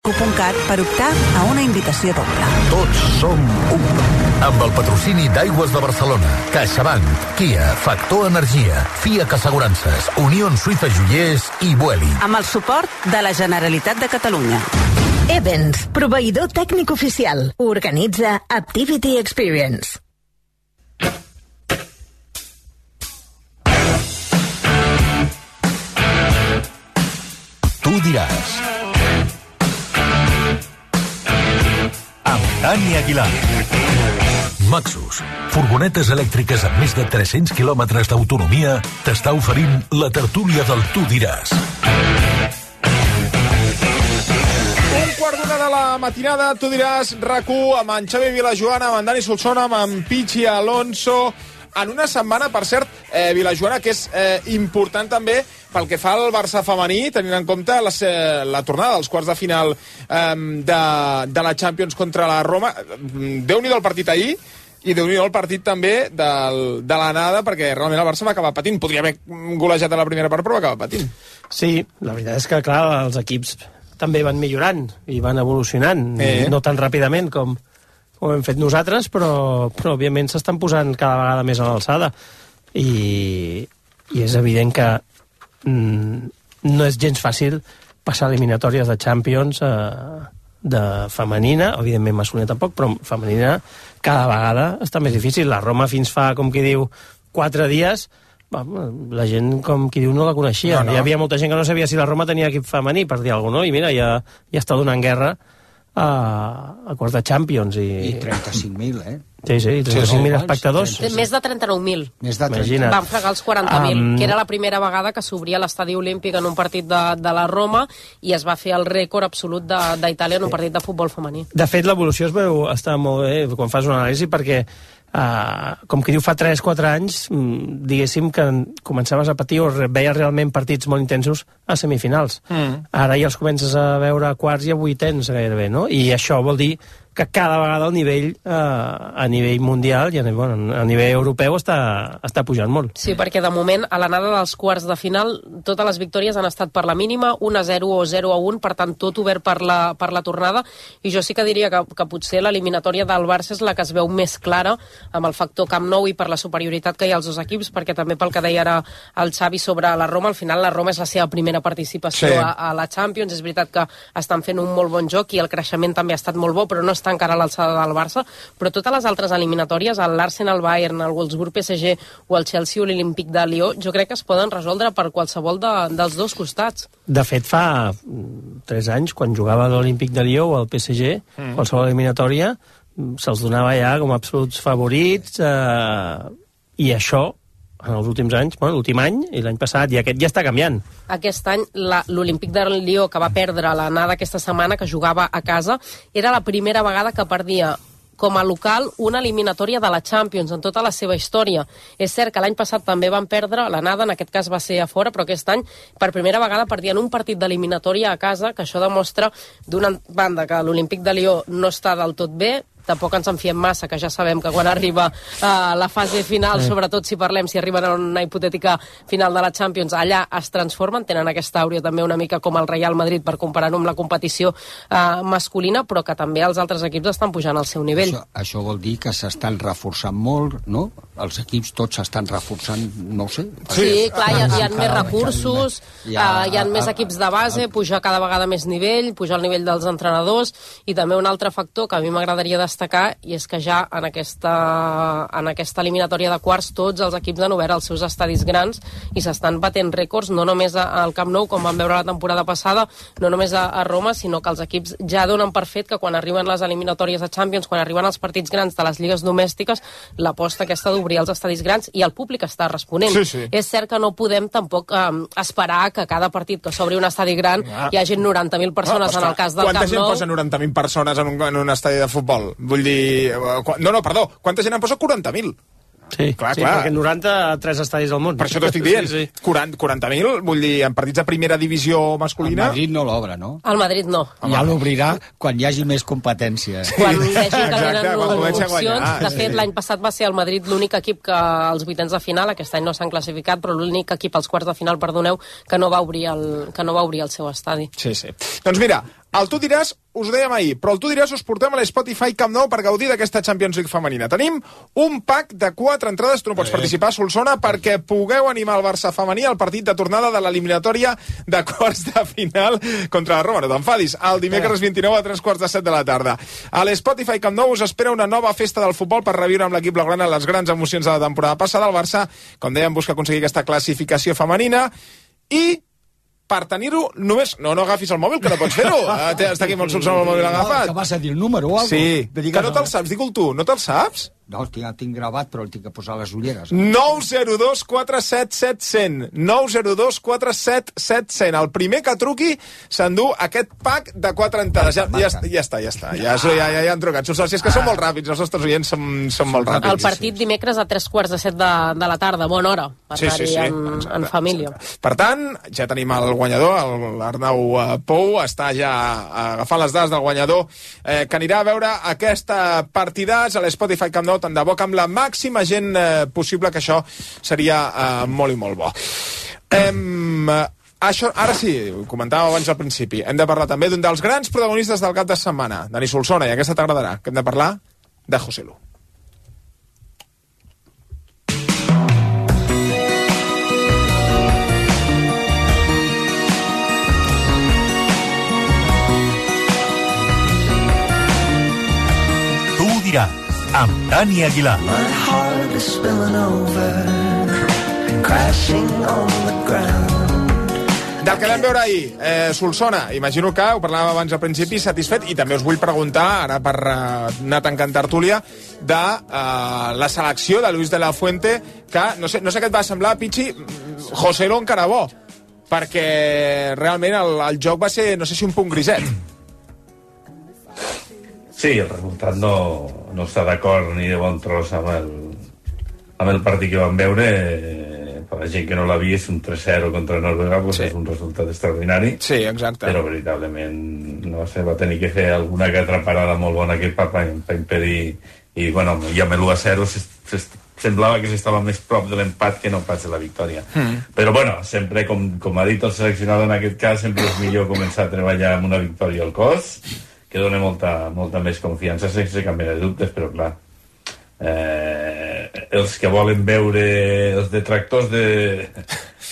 .cat per optar a una invitació doble. Tots som u. Amb el patrocini d'Aigües de Barcelona, CaixaBank, Kia, Factor Energia, FIAC Assegurances, Unió Suïssa Joiers i Vueling. Amb el suport de la Generalitat de Catalunya. Evans, proveïdor tècnic oficial. Organitza Activity Experience. Tu diràs. Amb Dani Aguilar. Maxus, furgonetes elèctriques amb més de 300 quilòmetres d'autonomia, t'està oferint la tertúlia del Tu diràs. 1:15 de la matinada, Tu diràs, RAC1, amb en Xavi Vilajoana, amb en Dani Solsona, amb en Pichi Alonso, en una setmana, per cert, Vilajoana, que és important també pel que fa al Barça femení, tenint en compte la tornada dels quarts de final de la Champions contra la Roma. Déu-n'hi-do el partit ahir, i déu-n'hi-do el partit també de l'anada, perquè realment el Barça va acabar patint. Podria haver golejat a la primera part, però va acabar patint. Sí, la veritat és que, clar, els equips també van millorant i van evolucionant, no tan ràpidament com hem fet nosaltres, però òbviament s'estan posant cada vegada més a l'alçada. I és evident que no és gens fàcil passar eliminatòries de Champions de femenina, evidentment masculina tampoc, però femenina cada vegada està més difícil. La Roma fins fa, com qui diu, 4 dies, la gent, com qui diu, no la coneixia. No. Hi havia molta gent que no sabia si la Roma tenia equip femení, per dir alguna cosa, no? I mira, ja està donant guerra a quarts de Champions. I 35.000, Sí, 35.000 espectadors. Més de 39.000. Imagina't. Van fregar els 40.000, que era la primera vegada que s'obria l'estadi olímpic en un partit de la Roma i es va fer el rècord absolut d'Itàlia en un partit de futbol femení. De fet, l'evolució es veu estar molt bé quan fas una anàlisi, perquè com que diu fa 3-4 anys, diguéssim que començaves a patir o veies realment partits molt intensos a semifinals. Ara ja els comences a veure a quarts i a vuitens gairebé, no? I això vol dir que cada vegada el nivell a nivell mundial i a nivell europeu està pujant molt. Sí, perquè de moment a l'anada dels quarts de final totes les victòries han estat per la mínima, 1-0 o 0-1, per tant tot obert per la tornada, i jo sí que diria que potser l'eliminatòria del Barça és la que es veu més clara amb el factor Camp Nou i per la superioritat que hi ha als dos equips, perquè també pel que deia ara el Xavi sobre la Roma, al final la Roma és la seva primera participació a la Champions. És veritat que estan fent un molt bon joc i el creixement també ha estat molt bo, però no està encara a l'alçada del Barça, però totes les altres eliminatòries, l'Arsenal Bayern, el Wolfsburg PSG o el Chelsea o l'Olímpic de Lió, jo crec que es poden resoldre per qualsevol dels dos costats. De fet, fa 3 anys, quan jugava l'Olímpic de Lió o el PSG, qualsevol eliminatòria se'ls donava ja com a absoluts favorits, i això en els últims anys, l'últim any i l'any passat, i aquest ja està canviant. Aquest any l'Olímpic de Lió, que va perdre l'anada aquesta setmana, que jugava a casa, era la primera vegada que perdia com a local una eliminatòria de la Champions en tota la seva història. És cert que l'any passat també van perdre l'anada, en aquest cas va ser a fora, però aquest any per primera vegada perdien un partit d'eliminatòria a casa, que això demostra d'una banda que l'Olímpic de Lió no està del tot bé, tampoc ens en fiem massa, que ja sabem que quan arriba la fase final, sobretot si arriben a una hipotètica final de la Champions, allà es transformen, tenen aquesta àurea també una mica com el Real Madrid per comparar-ho amb la competició masculina, però que també els altres equips estan pujant al seu nivell. Això vol dir que s'estan reforçant molt, no? Els equips tots s'estan reforçant, no ho sé. Sí, clar, hi ha més recursos, hi ha més equips de base, puja cada vegada més nivell, puja el nivell dels entrenadors, i també un altre factor que a mi m'agradaria destacar, i és que ja en aquesta eliminatòria de quarts tots els equips han obert els seus estadis grans i s'estan batent rècords, no només al Camp Nou, com vam veure la temporada passada, no només a Roma, sinó que els equips ja donen per fet que quan arriben les eliminatòries de Champions, quan arriben els partits grans de les lligues domèstiques, l'aposta aquesta d'obrir els estadis grans, i el públic està responent. És cert que no podem tampoc esperar que cada partit que s'obri un estadi gran hi hagi 90.000 persones en el cas del Camp Nou. Quanta gent posa 90.000 persones en un estadi de futbol? Vull dir... Perdó, quanta gent en posa? 40.000. Sí, clar. Perquè 93 estadis al món. Per això t'ho estic dient. 40.000, vull dir, en partits de primera divisió masculina... El Madrid no l'obre, no? El Madrid no. Ja l'obrirà quan hi hagi més competència. Quan vegi que tenen opcions. De fet, l'any passat va ser el Madrid l'únic equip que als vuitens de final, aquest any no s'han classificat, però l'únic equip als quarts de final, perdoneu, que no va obrir el seu estadi. Sí. Doncs mira, El Tu diràs, us ho dèiem ahir, però el Tu diràs us portem a l'Spotify Camp Nou per gaudir d'aquesta Champions League femenina. Tenim un pack de 4 entrades, tu no pots participar, Solsona, perquè pugueu animar el Barça femení al partit de tornada de l'eliminatòria de quarts de final contra la Roma. No t'enfadis, el dimecres 29 a 3:45 de la tarda. A l'Spotify Camp Nou us espera una nova festa del futbol per reviure amb l'equip blaugrana les grans emocions de la temporada passada. El Barça, com dèiem, busca aconseguir aquesta classificació femenina i per tenir-ho, només... No agafis el mòbil, que no pots fer-ho. Està aquí amb el Solsona el mòbil agafat. Que vas a dir el número o alguna cosa? Sí, que no te'l saps, digue-ho tu, no te'l saps? No, el tinc gravat, però el tinc que posar les ulleres. 902 47 700. 902 47 700. El primer que truqui s'endú aquest pack de 4 entrades. Ja està. Ja han trucat. Si és que són molt ràpids, els nostres oients són molt ràpids. El partit dimecres a 3:45 de la tarda, bona hora, per anar-hi en família. Per tant, ja tenim el guanyador, l'Arnau Pou, està ja agafant les dades del guanyador, que anirà a veure aquesta partidàs a l'Spotify Camp Nou, tant de bo que amb la màxima gent possible, que això seria molt i molt bo. Això, ara sí, ho comentàvem abans al principi, hem de parlar també d'un dels grans protagonistes del cap de setmana, Dani Solsona, i aquesta t'agradarà, que hem de parlar de José Lu. Tu diràs, amb Dani Aguilar. My heart is spilling over, crashing on the ground. Del que vam veure ahir, Solsona, imagino que, ho parlàvem abans al principi, satisfet, i també us vull preguntar, ara per anar tancant tertúlia, de la selecció de Luis de la Fuente, que no sé què et va semblar, Pichi, José Lu encara bo, perquè realment el joc va ser, no sé si un punt griset. Sí, el resultat no està d'acord ni de bon tros amb el partit que vam veure. Per la gent que no l'ha vist, un 3-0 contra Noruega, pues sí, és un resultat extraordinari. Sí, exacte. Però veritablement, no sé, va tenir que fer alguna que altra parada molt bona que per impedir. I, bueno, i amb l'1-0 semblava que s'estava més prop de l'empat que no pas de la victòria. Però, bueno, sempre, com ha dit el seleccionador en aquest cas, sempre és millor començar a treballar amb una victòria al cos, que dona molta més confiança, sense cap mena de dubtes, però clar, els que volen veure, els detractors de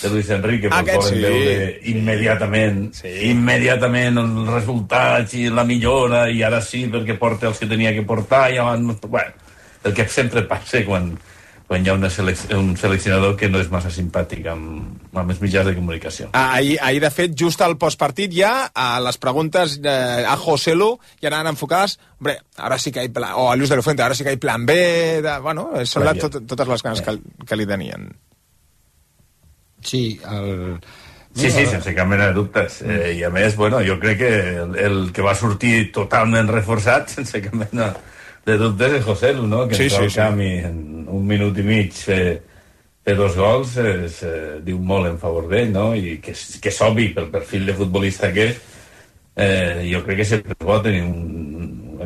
Luis Enrique, volen veure immediatament els resultats i la millora, i ara sí, perquè porta els que tenia que portar, i abans, bueno, el que sempre passa quan hi ha un seleccionador que no és massa simpàtic amb els mitjans de comunicació. Ahir, de fet, just al postpartit ja, a les preguntes a José Lu ja anaven enfocades, hombre, ara sí que hi plan, o a Luis de la Fuente, ara sí que hi plan B, bueno, són totes les ganes que li tenien. Sí, Sí, sense cap mena de dubtes. I a més, bueno, jo crec que el que va sortir totalment reforçat, sense cap mena de dubtes, és José Lu, no? Que entra al camp i en 1 minut i mig fer 2 gols diu molt en favor d'ell, no? I que és obvi pel perfil de futbolista que és. Jo crec que sempre és bo tenir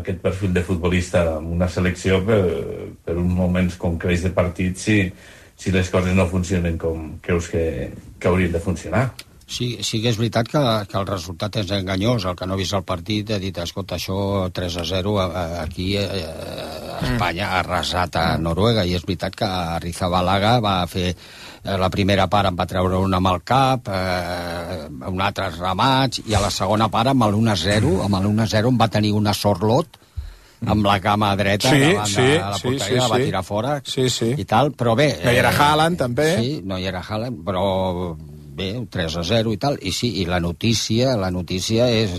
aquest perfil de futbolista en una selecció per uns moments concrets de partit si les coses no funcionen com creus que haurien de funcionar. Sí que és veritat que el resultat és enganyós. El que no ha vist el partit ha dit, escolta, això 3-0 aquí Espanya ha arrasat a Noruega, i és veritat que Arrizabalaga va fer la primera part, en va treure una amb el cap, un altre remats, i a la segona part amb l'1-0 va tenir una sorlot amb la cama dreta davant de la porteria, la va tirar fora i tal, però bé... No hi era Haaland, també. Sí, no hi era Haaland, però bé, 3-0 i tal, i la notícia és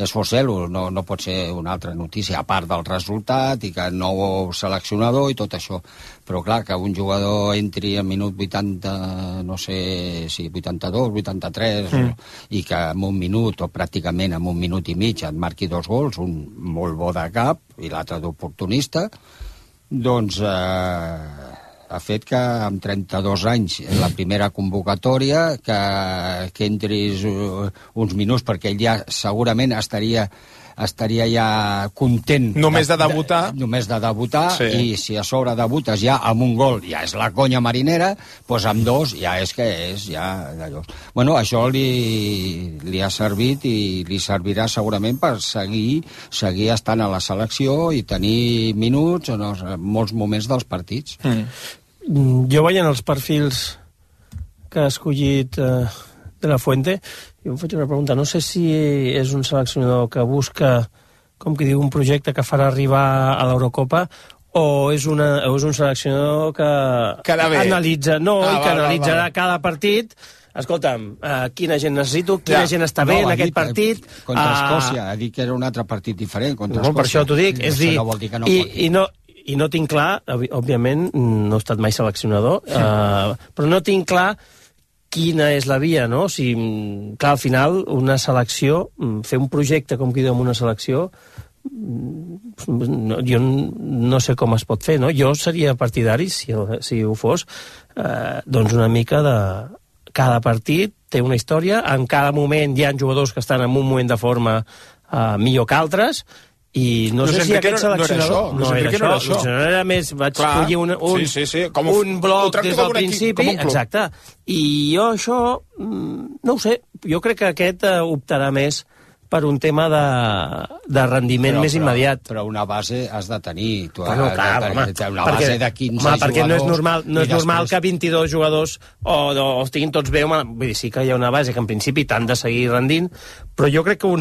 José Lu, no pot ser una altra notícia, a part del resultat, i que nou seleccionador i tot això. Però clar, que un jugador entri a minut 80, no sé si 82, 83, i que en un minut, o pràcticament en un minut i mig, et marqui 2 gols, un molt bo de cap i l'altre d'oportunista, doncs ha fet que amb 32 anys, en la primera convocatòria, que entris uns minuts, perquè ell ja segurament estaria estaria ja content. Només de debutar. Només de debutar, i si a sobre debutes ja amb un gol, ja és la conya marinera, doncs amb dos ja és que és, ja d'allò. Bueno, això li ha servit i li servirà segurament per seguir estant a la selecció i tenir minuts en molts moments dels partits. Jo veient els perfils que ha escollit de la Fuente, jo em faig una pregunta. No sé si és un seleccionador que busca, com que diu, un projecte que farà arribar a l'Eurocopa, o és un seleccionador que analitza, analitzarà cada partit. Escolta'm, quina gent necessito, quina gent està bé en aquest partit. Contra Escòcia, ha dit que era un altre partit diferent. Per això t'ho dic. És dir, i no tinc clar, òbviament, no he estat mai seleccionador, però no tinc clar quina és la via, no? Clar, al final, una selecció, fer un projecte com qui diu amb una selecció, jo no sé com es pot fer, no? Jo seria partidari, si ho fos, doncs una mica de... Cada partit té una història, en cada moment hi ha jugadors que estan en un moment de forma millor que altres, i no sé si aquest seleccionador... No era això. Era més... Vaig escollir un bloc des del principi. Exacte. I jo això... No ho sé. Jo crec que aquest optarà més per un tema de rendiment més immediat. Però una base has de tenir. Una base de 15 jugadors... Perquè no és normal que 22 jugadors o estiguin tots bé. Vull dir, sí que hi ha una base que en principi t'han de seguir rendint, però jo crec que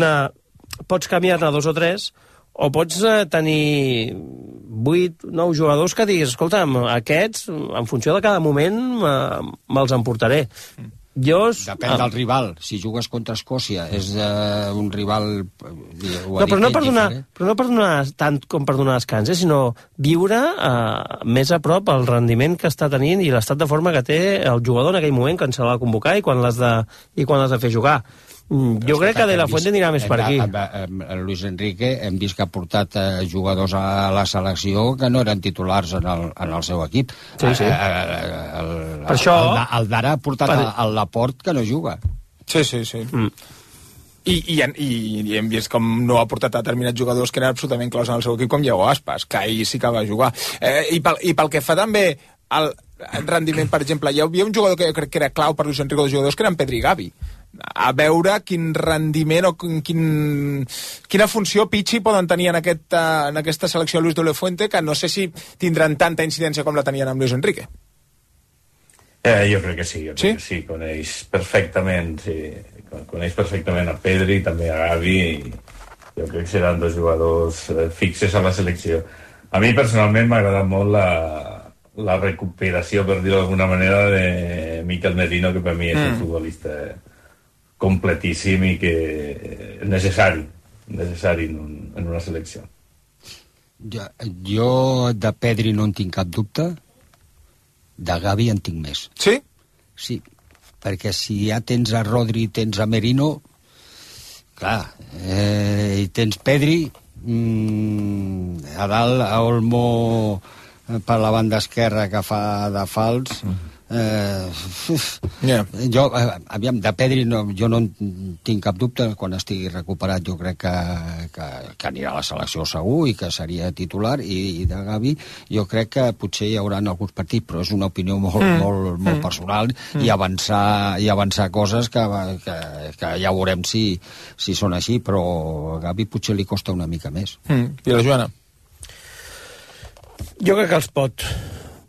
pots canviar-ne 2 o 3, o pots tenir 8, 9 jugadors que diguis, escolta'm, aquests, en funció de cada moment, me'ls emportaré. Depèn del rival. Si jugues contra Escòcia, és un rival... Però no per donar tant com per donar descans, sinó viure més a prop el rendiment que està tenint i l'estat de forma que té el jugador en aquell moment quan se l'ha de convocar i quan l'has de fer jugar. Jo crec que De La Fuente anirà més per aquí. Luis Enrique hem vist que ha portat jugadors a la selecció que no eren titulars en el seu equip. Sí. Per això... El Dara ha portat al Laporte que no juga. Sí. I hem vist com no ha portat determinats jugadors que eren absolutament claus en el seu equip, com Iago Aspas, que ahir sí que va jugar. I pel que fa també al rendiment, per exemple, hi havia un jugador que jo crec que era clau per Luis Enrique, dels jugadors, que eren Pedri i Gavi. A veure quin rendiment o quina funció Pichi poden tenir en aquesta selecció de Luis de la Fuente, que no sé si tindran tanta incidència com la tenien amb Luis Enrique. Jo crec que sí, que sí, coneix perfectament a Pedri, també a Gavi, i jo crec que seran 2 jugadors fixes a la selecció. A mi personalment m'ha agradat molt la recuperació, per dir-ho d'alguna manera, de Mikel Merino, que per mi és un futbolista completíssim i que és necessari en una selecció. Jo de Pedri no en tinc cap dubte, de Gavi en tinc més. Sí? Sí, perquè si ja tens a Rodri, tens a Merino, clar, i tens Pedri, a dalt a Olmo per la banda esquerra que fa de fals... Jo, aviam, de Pedri jo no tinc cap dubte. Quan estigui recuperat jo crec que anirà a la selecció segur i que seria titular, i de Gavi jo crec que potser hi haurà alguns partits, però és una opinió molt personal, i avançar coses que ja veurem si són així, però a Gavi potser li costa una mica més. I la Joana? Jo crec que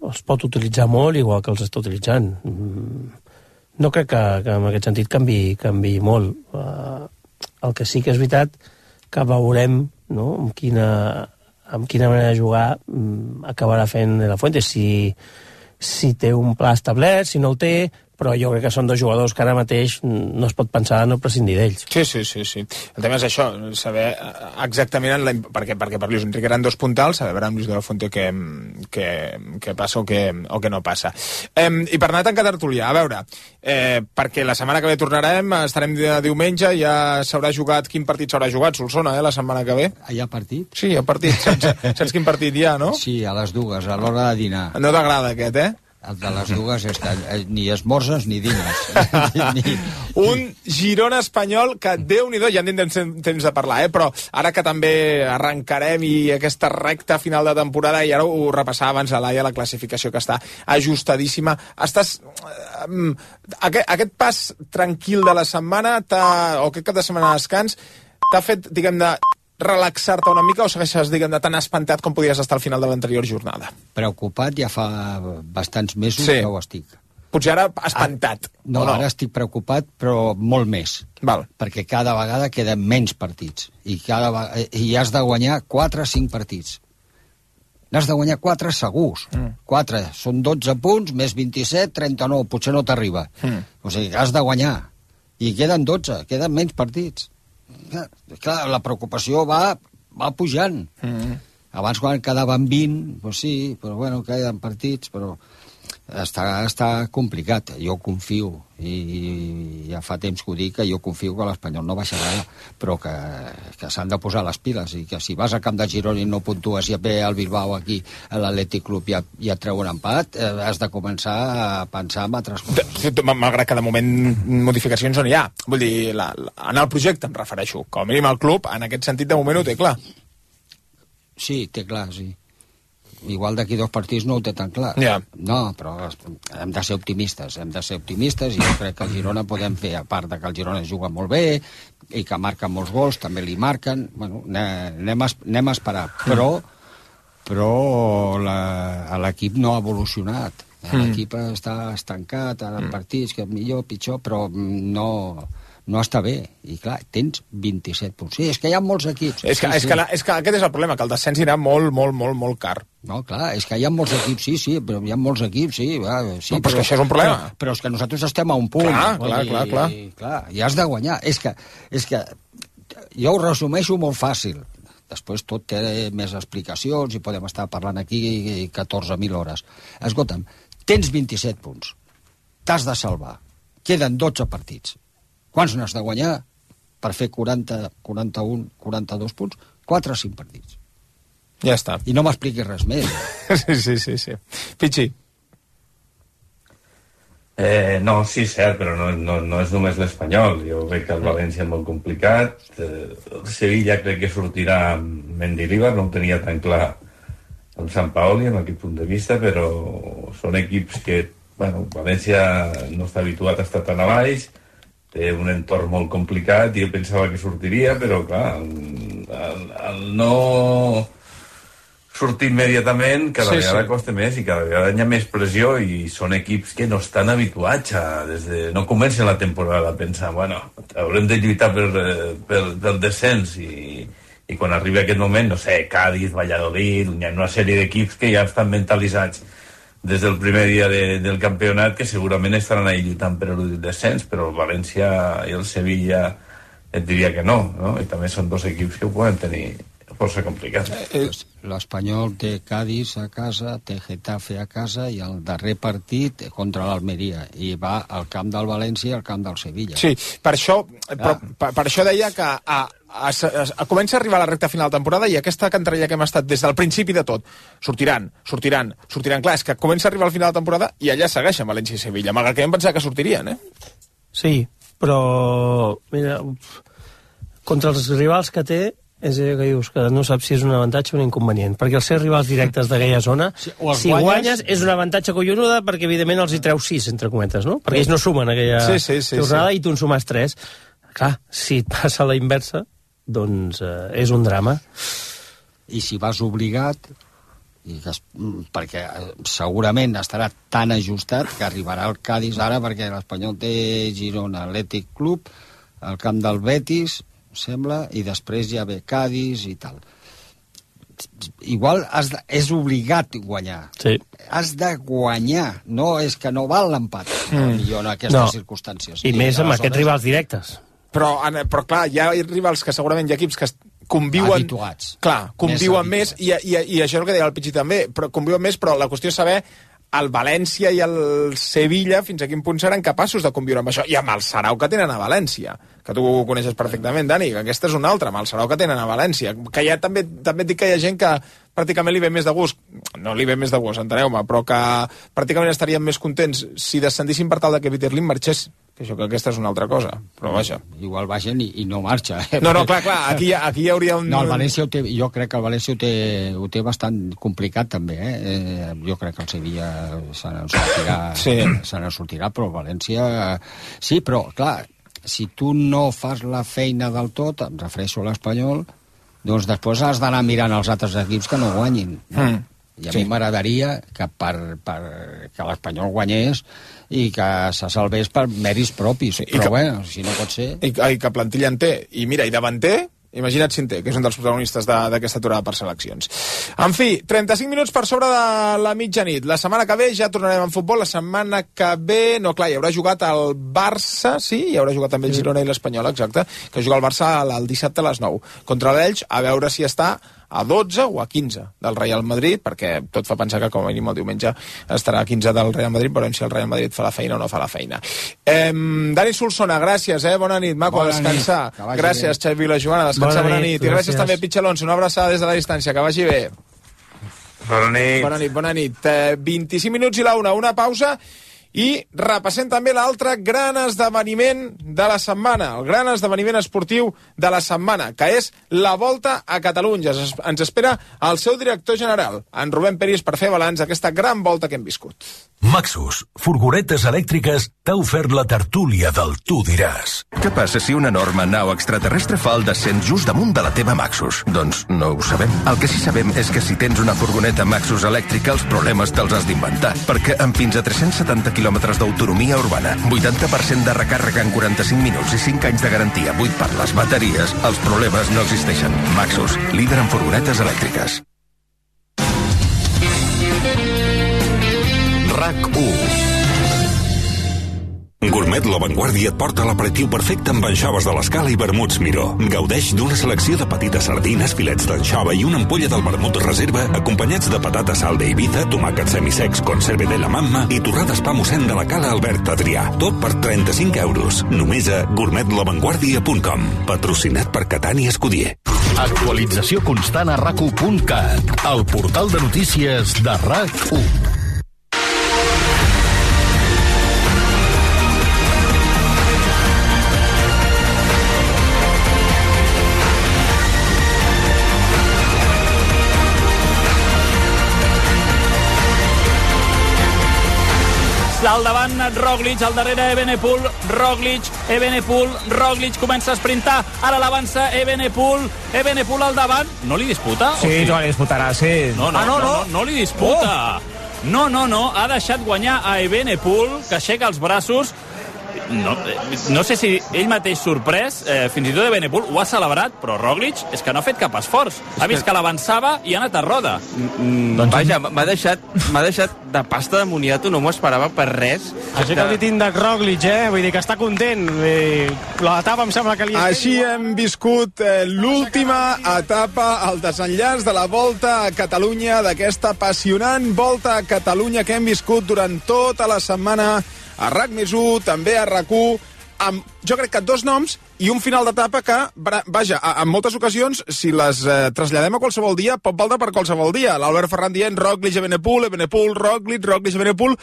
els pot utilitzar molt, igual que els està utilitzant. No crec que en aquest sentit canvi molt. El que sí que és veritat que veurem, no?, amb quina manera de jugar acabarà fent De La Fuente, si té un pla establert, si no el té, però jo crec que són 2 jugadors que ara mateix no es pot pensar no prescindir d'ells. Sí. El tema és això, saber exactament perquè per Luis Enrique eren 2 puntals, saber amb Luis de la Fuente què passa o què no passa. I per anar tancant tertúlia, a veure, perquè la setmana que ve tornarem, estarem diumenge, ja s'haurà jugat, quin partit s'haurà jugat, Solsona, la setmana que ve? Hi ha partit? Sí, hi ha partit, saps quin partit hi ha, no? Sí, a les 2, a l'hora de dinar. No t'agrada aquest, El de les dues és que ni esmorzes ni dines. Un Girona-Espanyol que, Déu-n'hi-do, ja en tindrem temps de parlar, però ara que també arrencarem i aquesta recta final de temporada, i ara ho repassava abans a la classificació que està ajustadíssima. Aquest pas tranquil de la setmana o aquest cap de setmana de descans t'ha fet, diguem-ne, relaxar-te una mica o segueixes, diguem-ne, tan espantat com podies estar al final de l'anterior jornada? Preocupat ja fa bastants mesos que ho estic. Potser ara espantat. No, ara estic preocupat, però molt més. Val. Perquè cada vegada queden menys partits. I has de guanyar 4 o 5 partits. N'has de guanyar 4 segurs. 4, són 12 punts, més 27, 39, potser no t'arriba. O sigui, has de guanyar. I queden 12, queden menys partits. Clar, la preocupació va pujant. Abans quan quedaven 20, doncs sí, però bueno, queden partits, però està complicat. Jo confio, i ja fa temps que ho dic, que jo confio que l'Espanyol no baixarà, però que s'han de posar les piles, i que si vas al camp de Girona i no puntues i et ve al Bilbao aquí, a l'Atlètic Club, i et treu un empat, has de començar a pensar en altres coses. Malgrat que de moment modificacions no hi ha. Vull dir, en el projecte em refereixo. Com a mínim el club, en aquest sentit, de moment ho té clar. Sí, té clar, sí. Igual d'aquí 2 partits no ho té tan clar. No, però hem de ser optimistes, i jo crec que el Girona podem fer, a part de que el Girona juga molt bé i que marca molts gols, també li marquen, bueno, anem a esperar, però l'equip no ha evolucionat, l'equip està estancat en partits, que millor, pitjor, però no està bé, i clar, tens 27 punts. Sí, és que hi ha molts equips. És que aquest és el problema, que el descens irà molt car. No, clar, és que hi ha molts equips, sí, però hi ha molts equips, sí. No, però això és un problema. Però és que nosaltres estem a un punt. Clar. I has de guanyar. És que jo ho resumeixo molt fàcil. Després tot té més explicacions i podem estar parlant aquí 14.000 hores. Escolta'm, tens 27 punts. T'has de salvar. Queden 12 partits. Quants n'has de guanyar per fer 40, 41, 42 punts? 4 o 5 partits. Ja està. I no m'expliquis res més. Sí. Pichi. No, sí, cert, però no és només l'Espanyol. Jo veig que el València és molt complicat. El Sevilla crec que sortirà amb Mendilibar, no ho tenia tan clar el Sant Paoli amb aquest punt de vista, però són equips que, bueno, València no està habituat a estar tan a baix, té un entorn molt complicat i jo pensava que sortiria, però clar, el no sortir immediatament cada vegada costa més i cada vegada hi ha més pressió, i són equips que no estan habituats no comencen la temporada pensant, bueno, haurem de lluitar pel descens, i quan arriba aquest moment, no sé, Cádiz, Valladolid, hi ha una sèrie d'equips que ja estan mentalitzats des del primer dia del campionat, que segurament estaran ahí lluitant per el descens, però el València i el Sevilla et diria que no? I també són 2 equips que ho poden tenir força complicat. L'Espanyol té Cádiz a casa, té Getafe a casa, i el darrer partit contra l'Almeria, i va al camp del València i al camp del Sevilla. Sí, per això deia que comença a arribar a la recta final de temporada, i aquesta cantarella que hem estat des del principi de tot, sortiran. Clar, és que comença a arribar al final de temporada i allà segueixen València i Sevilla, malgrat que vam pensar que sortirien, Sí, però mira, contra els rivals que té, és allò que dius, que no saps si és un avantatge o un inconvenient, perquè els seus rivals directes d'aquella zona, si guanyes és un avantatge collonuda, perquè evidentment els hi treus 6, entre cometes, no? Perquè ells no sumen aquella jornada i tu en sumes 3. Clar, si et passa la inversa, doncs és un drama. I si vas obligat, perquè segurament estarà tan ajustat que arribarà el Cádiz ara, perquè l'Espanyol té Girona, Atlètic Club, al camp del Betis, sembla, i després ja ve Cádiz i tal. Igual és obligat guanyar. Sí. Has de guanyar, no és que no val l'empat, millor en aquestes circumstàncies. I més amb aquests rivals directes. Però clar, hi ha rivals que segurament hi ha equips que conviuen... Habituats. Clar, conviuen més, i això és el que deia el Pichi també, però conviuen més, però la qüestió és saber el València i el Sevilla fins a quin punt seran capaços de conviure amb això, i amb el Sarau que tenen a València, que tu ho coneixes perfectament, Dani, que aquesta és una altra, amb el Sarau que tenen a València, que ja també et dic que hi ha gent que pràcticament li ve més de gust, no li ve més de gust, enteneu-me, però que pràcticament estaríem més contents si descendissin per tal de que Peter Lim marxés, que això que aquesta és una altra cosa, però vaja. Igual baixen i no marxa. No, clar, aquí hi hauria un... No, el València jo crec que el València ho té bastant complicat, també, Jo crec que el Sevilla se n'en sortirà, però el València... Sí, però, clar, si tu no fas la feina del tot, em refereixo a l'Espanyol, doncs després has d'anar mirant els altres equips que no guanyin. I a mi m'agradaria que que l'Espanyol guanyés i que se salvés per mèrits propis. Però bueno, si no pot ser... I que plantilla en té. I mira, i davanter... Imagina't Cinté, que és un dels protagonistes d'aquesta aturada per seleccions. En fi, 35 minuts per sobre de la mitjanit. La setmana que ve ja tornarem en futbol. La setmana que ve... No, clar, hi haurà jugat el Barça, sí, hi haurà jugat també el Girona i l'Espanyol, exacte, que juga el Barça el dissabte a les 9. Contra l'Elx, a veure si està a 12 o a 15 del Real Madrid, perquè tot fa pensar que com a mínim el diumenge estarà a 15 del Real Madrid, veurem si el Real Madrid fa la feina o no fa la feina. Dani Solsona, gràcies, bona nit, maco, a descansar. Gràcies, Xavi Vilajoana, a descansar, bona nit. I gràcies també, Pitx Alonso, una abraçada des de la distància, que vagi bé. Bona nit. 25 minuts i la una pausa. I repassem també l'altre gran esdeveniment de la setmana, el gran esdeveniment esportiu de la setmana, que és la Volta a Catalunya. Ens espera el seu director general, en Rubén Peris, per fer balanç d'aquesta gran volta que hem viscut. Maxus, furgonetes elèctriques, t'ha ofert la tertúlia del Tu diràs. Què passa si una enorme nau extraterrestre fa el descent just damunt de la teva Maxus? Doncs no ho sabem. El que sí sabem és que si tens una furgoneta Maxus elèctrica, els problemes te'ls has d'inventar, perquè amb fins a 370 quilòmetres d'autonomia urbana, 80% de recàrrega en 45 minuts i 5 anys de garantia buit per les bateries, els problemes no existeixen. Maxus, líder en furgonetes elèctriques. RAC1. Gourmet La Vanguardia et porta l'aperitiu perfecte amb anxoves de l'Escala i vermuts Miró. Gaudeix d'una selecció de petites sardines, filets d'anxova i una ampolla del vermut Reserva, acompanyats de patata salda Ibiza, tomàquets semisecs, conserve de la mamma i torrades pa mossèn de la Cala Albert Adrià. Tot per 35 euros. Només a gourmetlavanguardia.com. Patrocinat per Catània Escudier. Actualització constant a RAC1.cat, el portal de notícies de RAC1. Al davant Roglic, al darrere Evenepoel, Roglic comença a sprintar, ara l'avança Evenepoel al davant, no li disputa? Sí, no li disputarà, sí. No li disputa. No, ha deixat guanyar a Evenepoel, que aixeca els braços. No sé si ell mateix sorprès, fins i tot Evenepoel ho ha celebrat, però Roglic és que no ha fet cap esforç. Ha vist que l'avançava i ha anat a roda. Vaja, m'ha deixat de pasta de moniato, no m'ho esperava per res. Així que el dit de Roglic, vull dir que està content. L'etapa em sembla que li... Així hem viscut l'última etapa, el desenllaç de la Volta a Catalunya, d'aquesta apassionant Volta a Catalunya que hem viscut durant tota la setmana a RAC+1, també a RAC1, amb, jo crec que 2 noms i un final d'etapa que, vaja, en moltes ocasions, si les traslladem a qualsevol dia, pot valdre per qualsevol dia. L'Albert Ferran dient Roglic, Evenepoel, Roglic, Evenepoel,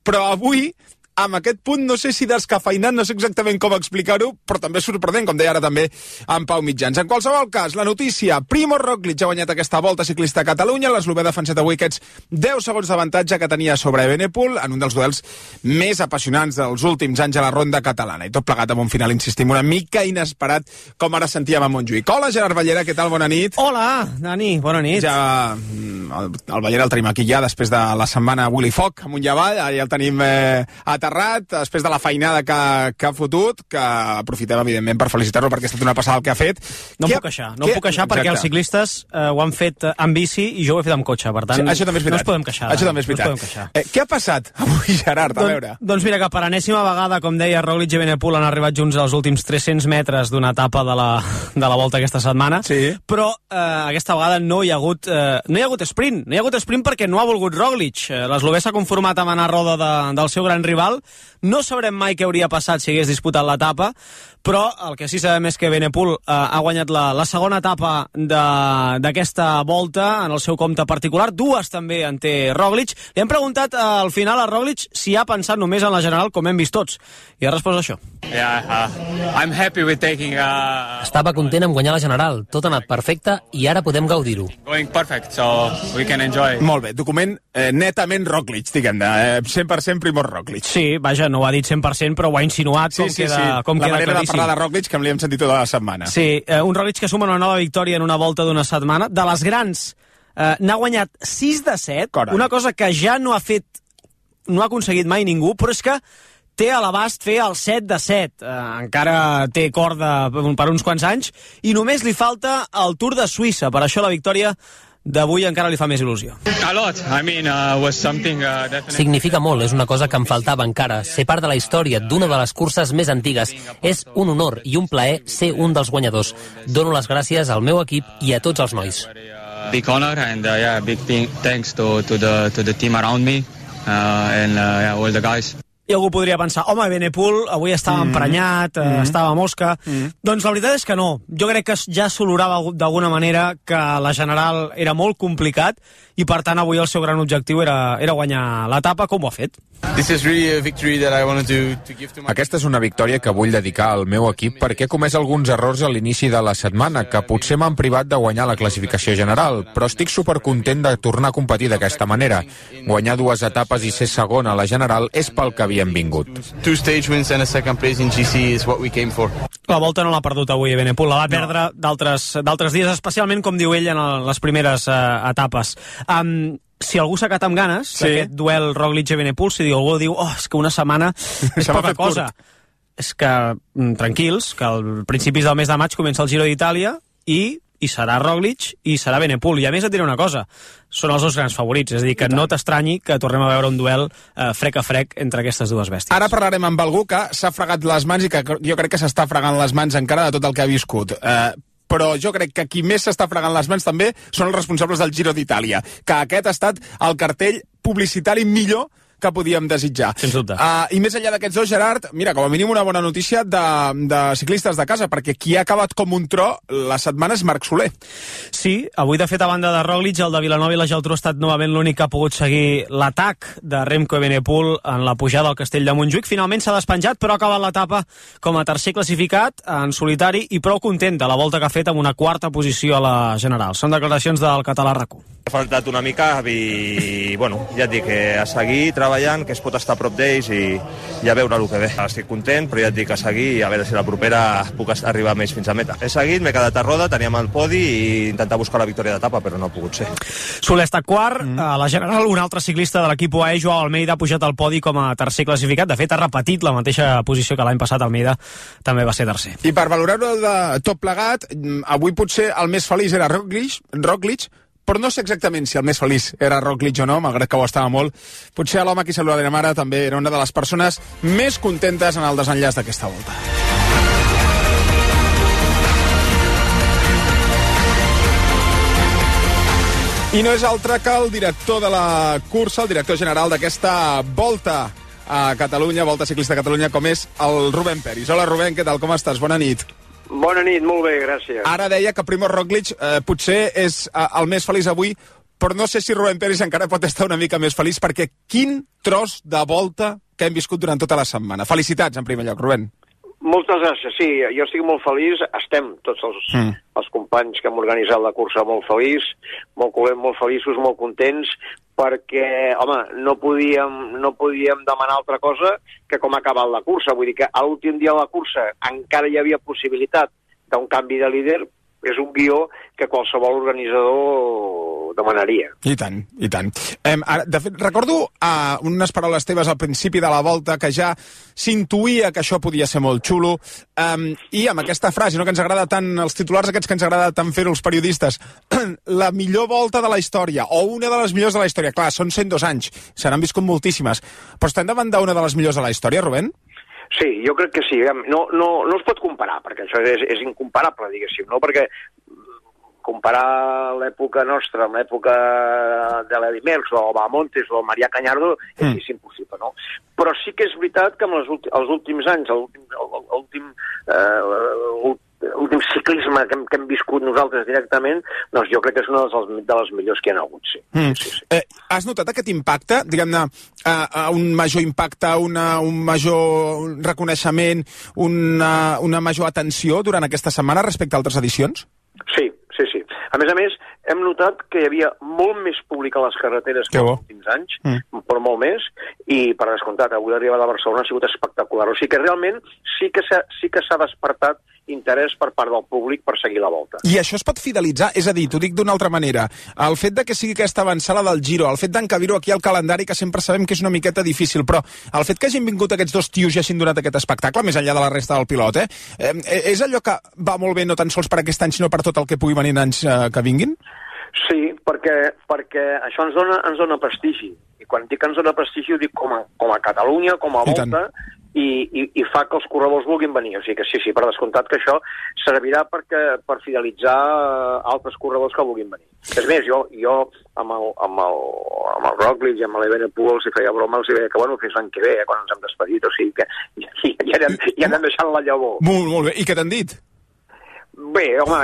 però avui, amb aquest punt, no sé si descafeinat, no sé exactament com explicar-ho, però també sorprenent, com deia ara també en Pau Mitjans. En qualsevol cas, la notícia, Primož Roglic ha guanyat aquesta Volta Ciclista a Catalunya, l'eslovè ha defensat avui aquests 10 segons d'avantatge que tenia sobre Evenepoel en un dels duels més apassionants dels últims anys a la ronda catalana, i tot plegat amb un final, insistim, una mica inesperat, com ara sentíem a Montjuïc. Hola, Gerard Ballera, què tal? Bona nit. Hola, Dani, bona nit. Ja el Ballera el tenim aquí ja després de la setmana Willy Foc amunt i avall, ja el tenim aterrat, després de la feinada que ha fotut, que aprofitem, evidentment, per felicitar-lo perquè ha estat una passada el que ha fet. No em puc queixar perquè els ciclistes ho han fet amb bici i jo ho he fet amb cotxe, per tant, això també és veritat. No ens podem queixar. Això també és veritat. Què ha passat avui, Gerard? A veure. Doncs mira, que per enèsima vegada, com deia, Roglic i Evenepoel han arribat junts als últims 300 metres d'una etapa de la Volta aquesta setmana, sí. Però aquesta vegada no hi ha hagut sprint. sprint. No hi ha hagut sprint perquè no ha volgut Roglic. L'eslovè s'ha conformat amb anar a roda del seu gran rival. No sabrem mai què hauria passat si hagués disputat l'etapa, però el que sí sabem és que Evenepoel ha guanyat la segona etapa d'aquesta volta en el seu compte particular. Dues també en té Roglic. Li hem preguntat al final a Roglic si ha pensat només en la general, com hem vist tots. I ha respost això. I'm happy with taking... Estava content amb guanyar la general. Tot ha anat perfecte i ara podem gaudir-ho. Going perfect, so we can enjoy. Molt bé, document netament Roglic, diguem-ne. 100% Primož Roglic. Sí, vaja, no ho ha dit 100%, però ho ha insinuat com queda claríssim. La manera de parlar de Roglic que li hem sentit tota la setmana. Sí, un Roglic que suma una nova victòria en una volta d'una setmana. De les grans, n'ha guanyat 6 de 7, Carai. Una cosa que ja no ha aconseguit mai ningú, però és que té a l'abast fer el 7 de 7. Encara té corda per uns quants anys, i només li falta el Tour de Suïssa. Per això la victòria d'avui encara li fa més il·lusió. Significa molt, és una cosa que em faltava encara. Ser part de la història d'una de les curses més antigues. És un honor i un plaer ser un dels guanyadors. Dono les gràcies al meu equip i a tots els nois. Big honor and big thanks to the team around me and all the guys. I algú podria pensar, home, Evenepoel avui estava emprenyat, estava mosca. Doncs la veritat és que no. Jo crec que ja s'olorava d'alguna manera que la general era molt complicat i, per tant, avui el seu gran objectiu era guanyar l'etapa, com ho ha fet. Aquesta és una victòria que vull dedicar al meu equip perquè he comès alguns errors a l'inici de la setmana, que potser m'han privat de guanyar la classificació general, però estic supercontent de tornar a competir d'aquesta manera. Guanyar 2 etapes i ser segon a la general és pel que havíem vingut. La volta no l'ha perdut avui Evenepoel, la va perdre d'altres dies, especialment, com diu ell, en les primeres etapes. Si algú s'ha quedat amb ganes d'aquest duel Roglic-Evenepoel, si algú diu, és que una setmana és poca cosa. És que, tranquils, que al principis del mes de maig comença el Giro d'Itàlia i serà Roglic i serà Evenepoel. I a més et diré una cosa, són els dos grans favorits, és a dir, que no t'estranyi que tornem a veure un duel frec a frec entre aquestes dues bèsties. Ara parlarem amb algú que s'ha fregat les mans i que jo crec que s'està fregant les mans encara de tot el que ha viscut. Però jo crec que qui més s'està fregant les mans també són els responsables del Giro d'Itàlia, que aquest ha estat el cartell publicitari millor que podíem desitjar. Sens dubte. I més enllà d'aquests dos, Gerard, mira, com a mínim una bona notícia de ciclistes de casa, perquè qui ha acabat com un tro la setmana és Marc Soler. Sí, avui, de fet, a banda de Roglic, el de Vilanova i la Geltrú ha estat novament l'únic que ha pogut seguir l'atac de Remco Evenepoel en la pujada al Castell de Montjuïc. Finalment s'ha despenjat, però ha acabat l'etapa com a tercer classificat, en solitari, i prou content de la volta que ha fet amb una 4a posició a la general. Són declaracions del català RAC1. Ha faltat una mica i, bueno, ja et dic, a seguir treballant, que es pot estar a prop d'ells i a veure el que ve. Estic content, però ja et dic a seguir i a veure si la propera puc arribar més fins a meta. He seguit, m'he quedat a roda, teníem el podi i intentar buscar la victòria d'etapa, però no ha pogut ser. Soler està quart, a la general un altre ciclista de l'equip UAE, Joao Almeida, ha pujat al podi com a tercer classificat. De fet, ha repetit la mateixa posició que l'any passat. Almeida també va ser tercer. I per valorar-ho de tot plegat, avui potser el més feliç era Roglic, però no sé exactament si el més feliç era Roglic o no, malgrat que ho estava molt. Potser l'home a qui saludarem ara també era una de les persones més contentes en el desenllaç d'aquesta volta. I no és altre que el director de la cursa, el director general d'aquesta volta a Catalunya, Volta Ciclista a Catalunya, com és el Rubén Peris. Hola, Rubén, què tal, com estàs? Bona nit. Bona nit, molt bé, gràcies. Ara deia que Primož Roglic potser és el més feliç avui, però no sé si Rubén Peris encara pot estar una mica més feliç, perquè quin tros de volta que hem viscut durant tota la setmana. Felicitats, en primer lloc, Rubén. Moltes gràcies, sí, jo estic molt feliç, estem tots els companys que hem organitzat la cursa molt molt feliços, molt contents, perquè, home, no podíem demanar altra cosa que com ha acabat la cursa. Vull dir que a l'últim dia de la cursa encara hi havia possibilitat d'un canvi de líder. És un guió que qualsevol organitzador demanaria. I tant, i tant. De fet, recordo unes paraules teves al principi de la volta que ja s'intuïa que això podia ser molt xulo, i amb aquesta frase, no, que ens agrada tant, els titulars aquests que ens agrada tant fer-ho els periodistes, la millor volta de la història, o una de les millors de la història. Clar, són 102 anys, se n'han viscut moltíssimes, però estem davant d'una de les millors de la història, Rubén? Sí, jo crec que sí. No es pot comparar, perquè això és incomparable, diguéssim, no? Perquè comparar l'època nostra amb l'època de l'Edi Merckx o Bahamontes o Marià Cañardo és impossible, no? Però sí que és veritat que amb els últims anys, l'últim ciclisme que hem viscut nosaltres directament, doncs jo crec que és una de les millors que hi ha hagut, sí. Has notat aquest impacte, diguem-ne, un major impacte, un major reconeixement, una major atenció durant aquesta setmana respecte a altres edicions? Sí. A més, hem notat que hi havia molt més públic a les carreteres que els últims anys, però molt més, i per descomptat, avui l'arribada a Barcelona ha sigut espectacular. O sigui que realment sí que s'ha despertat interès per part del públic per seguir la Volta. I això es pot fidelitzar? És a dir, t'ho dic d'una altra manera, el fet de que sigui aquesta avançada del Giro, el fet d'encabir-ho aquí al calendari, que sempre sabem que és una miqueta difícil, però el fet que hagin vingut aquests dos tios i hagin donat aquest espectacle, més enllà de la resta del pilot, és allò que va molt bé no tan sols per aquest any, sinó per tot el que pugui venir en anys que vinguin? Sí, perquè això ens dona prestigi. I quan dic que ens dona prestigi ho dic com a Catalunya, com a Volta, i fa que els corredors vulguin venir. O sigui que sí, per descomptat que això servirà per fidelitzar altres corredors que vulguin venir. És més, jo amb el Roglic i amb l'Evenepoel els hi feia broma, els hi deia que fins l'any que ve, quan ens hem despedit, o sigui que ja anem deixant la llavor. Molt bé. I què t'han dit? Bé, home,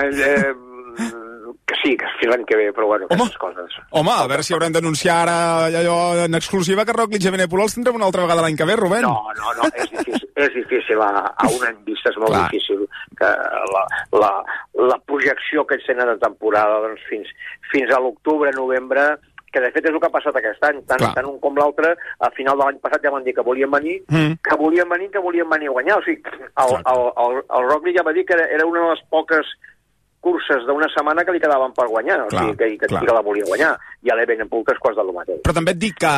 que sí, que fins l'any que ve, però aquestes coses. Home, a veure si haurem d'anunciar ara allò en exclusiva que Roglic i Evenepoel els tindrem una altra vegada l'any que ve, Rubén. No, és difícil. A un any vista és molt difícil que la projecció que ells tenen de temporada fins a l'octubre, novembre, que de fet és el que ha passat aquest any, tant un com l'altre, a final de l'any passat ja van dir que volien venir, que volien venir a guanyar. O sigui, el Roglic ja va dir que era una de les poques curses d'una setmana que li quedaven per guanyar, o sigui, que la volia guanyar, i a l'Evenepoel tres quarts de lo mateix. Però també et dic que,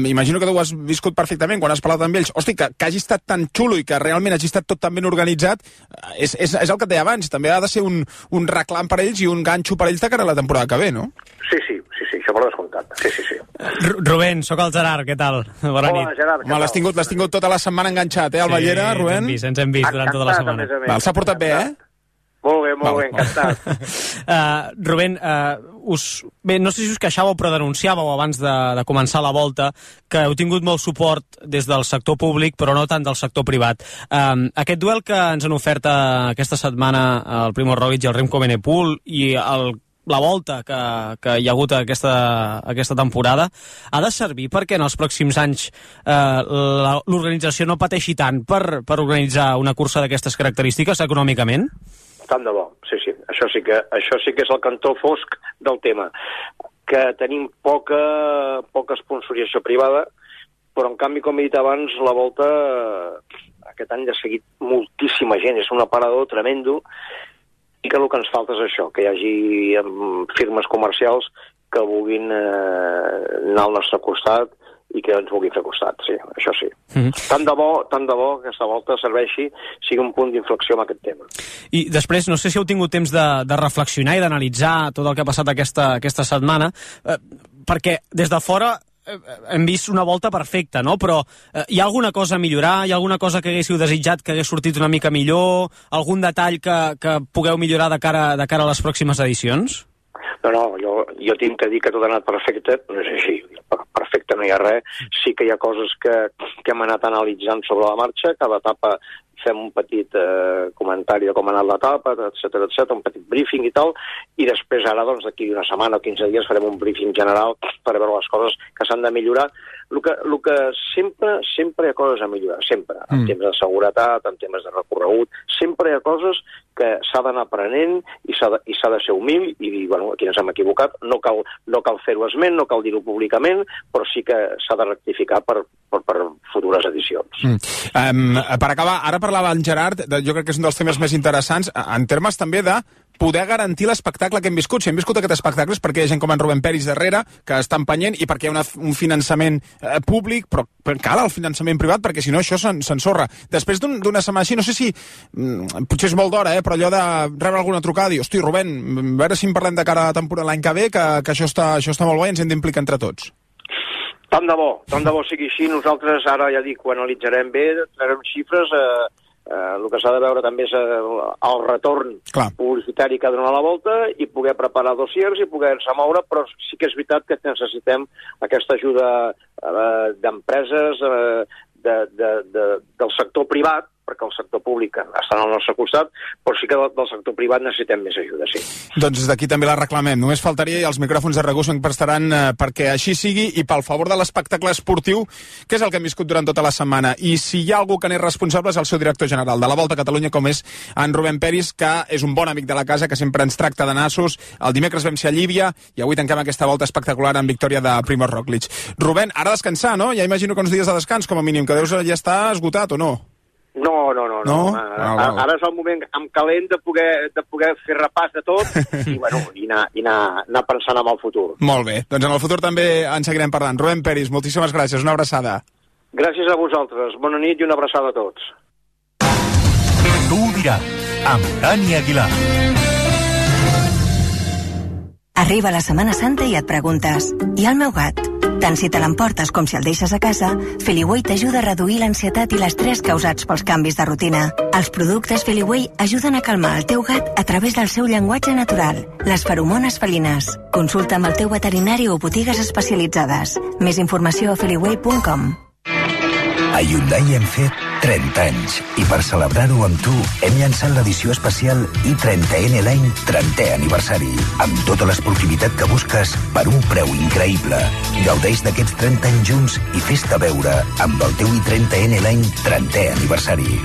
imagino que tu ho has viscut perfectament quan has parlat amb ells, hosti, que hagi estat tan xulo i que realment hagi estat tot tan ben organitzat, és el que et deia abans, també ha de ser un reclam per ells i un ganxo per ells de cara a la temporada que ve, no? Sí, això per descomptat, sí. Rubén, sóc el Gerard, què tal? Bona nit. Gerard, home, l'has tingut tota la setmana enganxat, al Ballera, Rubén? Sí, ens hem vist durant tota la setmana. S'ha portat bé, Molt bé, encantat. Rubén, no sé si us queixàveu, però denunciàveu abans de començar la Volta que heu tingut molt suport des del sector públic, però no tant del sector privat. Aquest duel que ens han ofert aquesta setmana el Primo Roglic i el Remco Evenepoel i la Volta que hi ha hagut aquesta temporada ha de servir perquè en els pròxims anys l'organització no pateixi tant per organitzar una cursa d'aquestes característiques econòmicament? Tant de bo, sí. Això sí que és el cantó fosc del tema. Que tenim poca sponsorització privada, però en canvi, com he dit abans, la Volta aquest any ha seguit moltíssima gent, és un aparador tremendo, i que el que ens falta és això, que hi hagi firmes comercials que vulguin anar al nostre costat i que ens vulgui fer costat, sí, això sí. Tant de bo que aquesta Volta sigui un punt d'inflexió amb aquest tema. I després, no sé si heu tingut temps de reflexionar i d'analitzar tot el que ha passat aquesta setmana, perquè des de fora hem vist una Volta perfecta, no? Però hi ha alguna cosa a millorar? Hi ha alguna cosa que haguéssiu desitjat que hagués sortit una mica millor? Algun detall que pugueu millorar de cara a les pròximes edicions? No, jo tinc que dir que tot ha anat perfecte, no és així. Perfecte no hi ha res. Sí que hi ha coses que hem anat analitzant sobre la marxa, cada etapa fem un petit comentari de com ha anat l'etapa, etc, un petit briefing i tal, i després ara, d'aquí una setmana o 15 dies farem un briefing general per veure les coses que s'han de millorar. El que sempre hi ha coses a millorar, sempre, en temes de seguretat, en temes de recorregut, sempre hi ha coses que s'ha d'anar aprenent i s'ha de ser humil i dir, aquí ens hem equivocat, no cal fer-ho esment, no cal dir-ho públicament, però sí que s'ha de rectificar per futures edicions. Per acabar, ara parlava en Gerard, jo crec que és un dels temes més interessants, en termes també de poder garantir l'espectacle que hem viscut. Si hem viscut aquest espectacle és perquè hi ha gent com en Rubén Peris darrere, que està empenyent, i perquè hi ha un finançament públic, però cal el finançament privat, perquè si no això s'ensorra. Després d'una setmana així, no sé si, potser és molt d'hora, però allò de rebre alguna trucada, dir, hosti, Rubén, a veure si en parlem de cara a la temporada l'any que ve, que això està molt bé i ens hem d'implicar entre tots. Tant de bo sigui així. Nosaltres ara, ja dic, ho analitzarem bé, traurem xifres, el que s'ha de veure també és el retorn publicitari que dona la volta i poder preparar dossiers i poder-se moure, però sí que és veritat que necessitem aquesta ajuda d'empreses, del sector privat, perquè el sector públic està al nostre costat, però sí que del sector privat necessitem més ajuda, sí. Doncs des d'aquí també la reclamem. Només faltaria, i els micròfons de RAC1 se'n prestaran perquè així sigui i pel favor de l'espectacle esportiu, que és el que hem viscut durant tota la setmana. I si hi ha algú que n'és responsable és el seu director general de la Volta a Catalunya, com és en Rubén Peris, que és un bon amic de la casa, que sempre ens tracta de nassos. El dimecres vam ser a Llívia i avui tanquem aquesta volta espectacular en victòria de Primož Roglič. Rubén, ara descansar, no? Ja imagino que uns dies de descans, com a mínim, que deus ja estar esgotat, o no? No. Ara és el moment amb calent de poder fer repàs de tot i anar pensant en el futur. Molt bé, doncs en el futur també en seguirem parlant. Rubén Peris, moltíssimes gràcies, una abraçada. Gràcies a vosaltres, bona nit i una abraçada a tots. Tu ho diràs, amb Dani Aguilar. Arriba la Setmana Santa i et preguntes, i el meu gat? Tant si te l'emportes com si el deixes a casa, Feliway t'ajuda a reduir l'ansietat i l'estrès causats pels canvis de rutina. Els productes Feliway ajuden a calmar el teu gat a través del seu llenguatge natural, les feromones felines. Consulta amb el teu veterinari o botigues especialitzades. Més informació a feliway.com. A Hyundai hem fet 30 anys i per celebrar-ho amb tu hem llançat l'edició especial i30N l'any 30è aniversari amb tota l'esportivitat que busques per un preu increïble. Gaudeix d'aquests 30 anys junts i fes-te veure amb el teu i30N l'any 30è aniversari.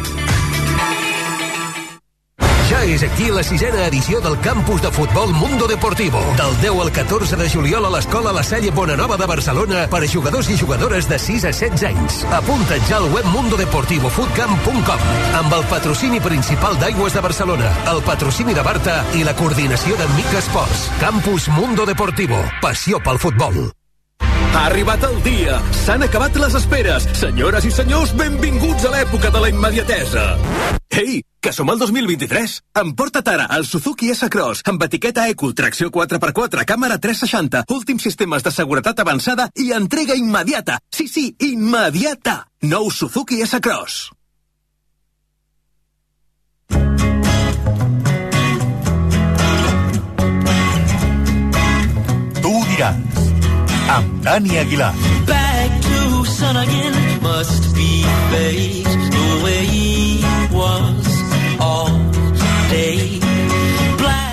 Ja és aquí la 6a edició del campus de futbol Mundo Deportivo. Del 10 al 14 de juliol a l'Escola La Salle Bonanova de Barcelona per a jugadors i jugadores de 6 a 16 anys. Apunta't ja al web mundodeportivofootcamp.com amb el patrocini principal d'Aigües de Barcelona, el patrocini de Barta i la coordinació de Mica Esports. Campus Mundo Deportivo. Passió pel futbol. Ha arribat el dia. S'han acabat les esperes. Senyores i senyors, benvinguts a l'època de la immediatesa. Ei, que som al 2023. Emporta't ara el Suzuki S-Cross amb etiqueta Eco, tracció 4x4, càmera 360, últims sistemes de seguretat avançada i entrega immediata. Sí, immediata. Nou Suzuki S-Cross. Tu ho diràs, amb Dani Aguilar. Back to sun again must be fate the way it was all day.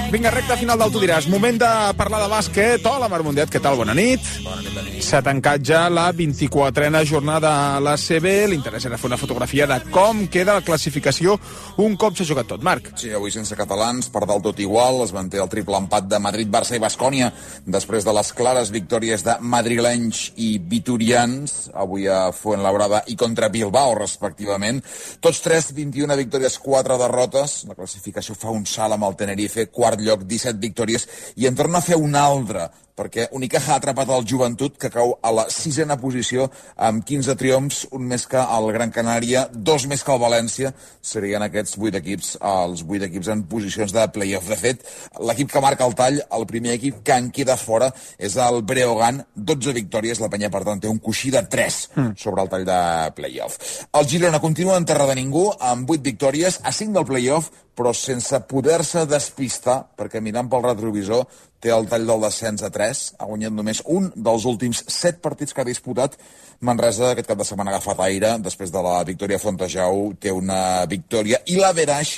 Vinga, recta final del Tu diràs. Moment de parlar de bàsquet. Hola, Marc Mundet, què tal? Bona nit. Bona nit, Dani. S'ha tancat ja la 24a jornada a l'ACB. L'interès era fer una fotografia de com queda la classificació un cop s'ha jugat tot. Marc. Sí, avui sense catalans, per dalt tot igual. Es manté el triple empat de Madrid, Barça i Baskònia després de les clares victòries de madrilenys i vitorians, avui a Fuenlabrada i contra Bilbao, respectivament. Tots tres, 21 victòries, 4 derrotes. La classificació fa un salt amb el Tenerife, quart lloc, 17 victòries, i en torna a fer una altra, perquè Unicaja ha atrapat el Joventut, que cau a la 6a posició amb 15 triomfs, un més que el Gran Canària, 2 més que el València. Serien aquests 8 equips, els 8 equips en posicions de play-off. De fet, l'equip que marca el tall, el primer equip que en queda fora, és el Breogán, 12 victòries, la penya, per tant, té un coixí de 3 sobre el tall de play-off. El Girona continua en terra de ningú, amb 8 victòries, a 5 del play-off, però sense poder-se despistar, perquè mirant pel retrovisor té el tall del descens a 3, ha guanyat només un dels últims 7 partits que ha disputat. Manresa aquest cap de setmana ha agafat aire, després de la victòria a Fontejau té una victòria i l'averaix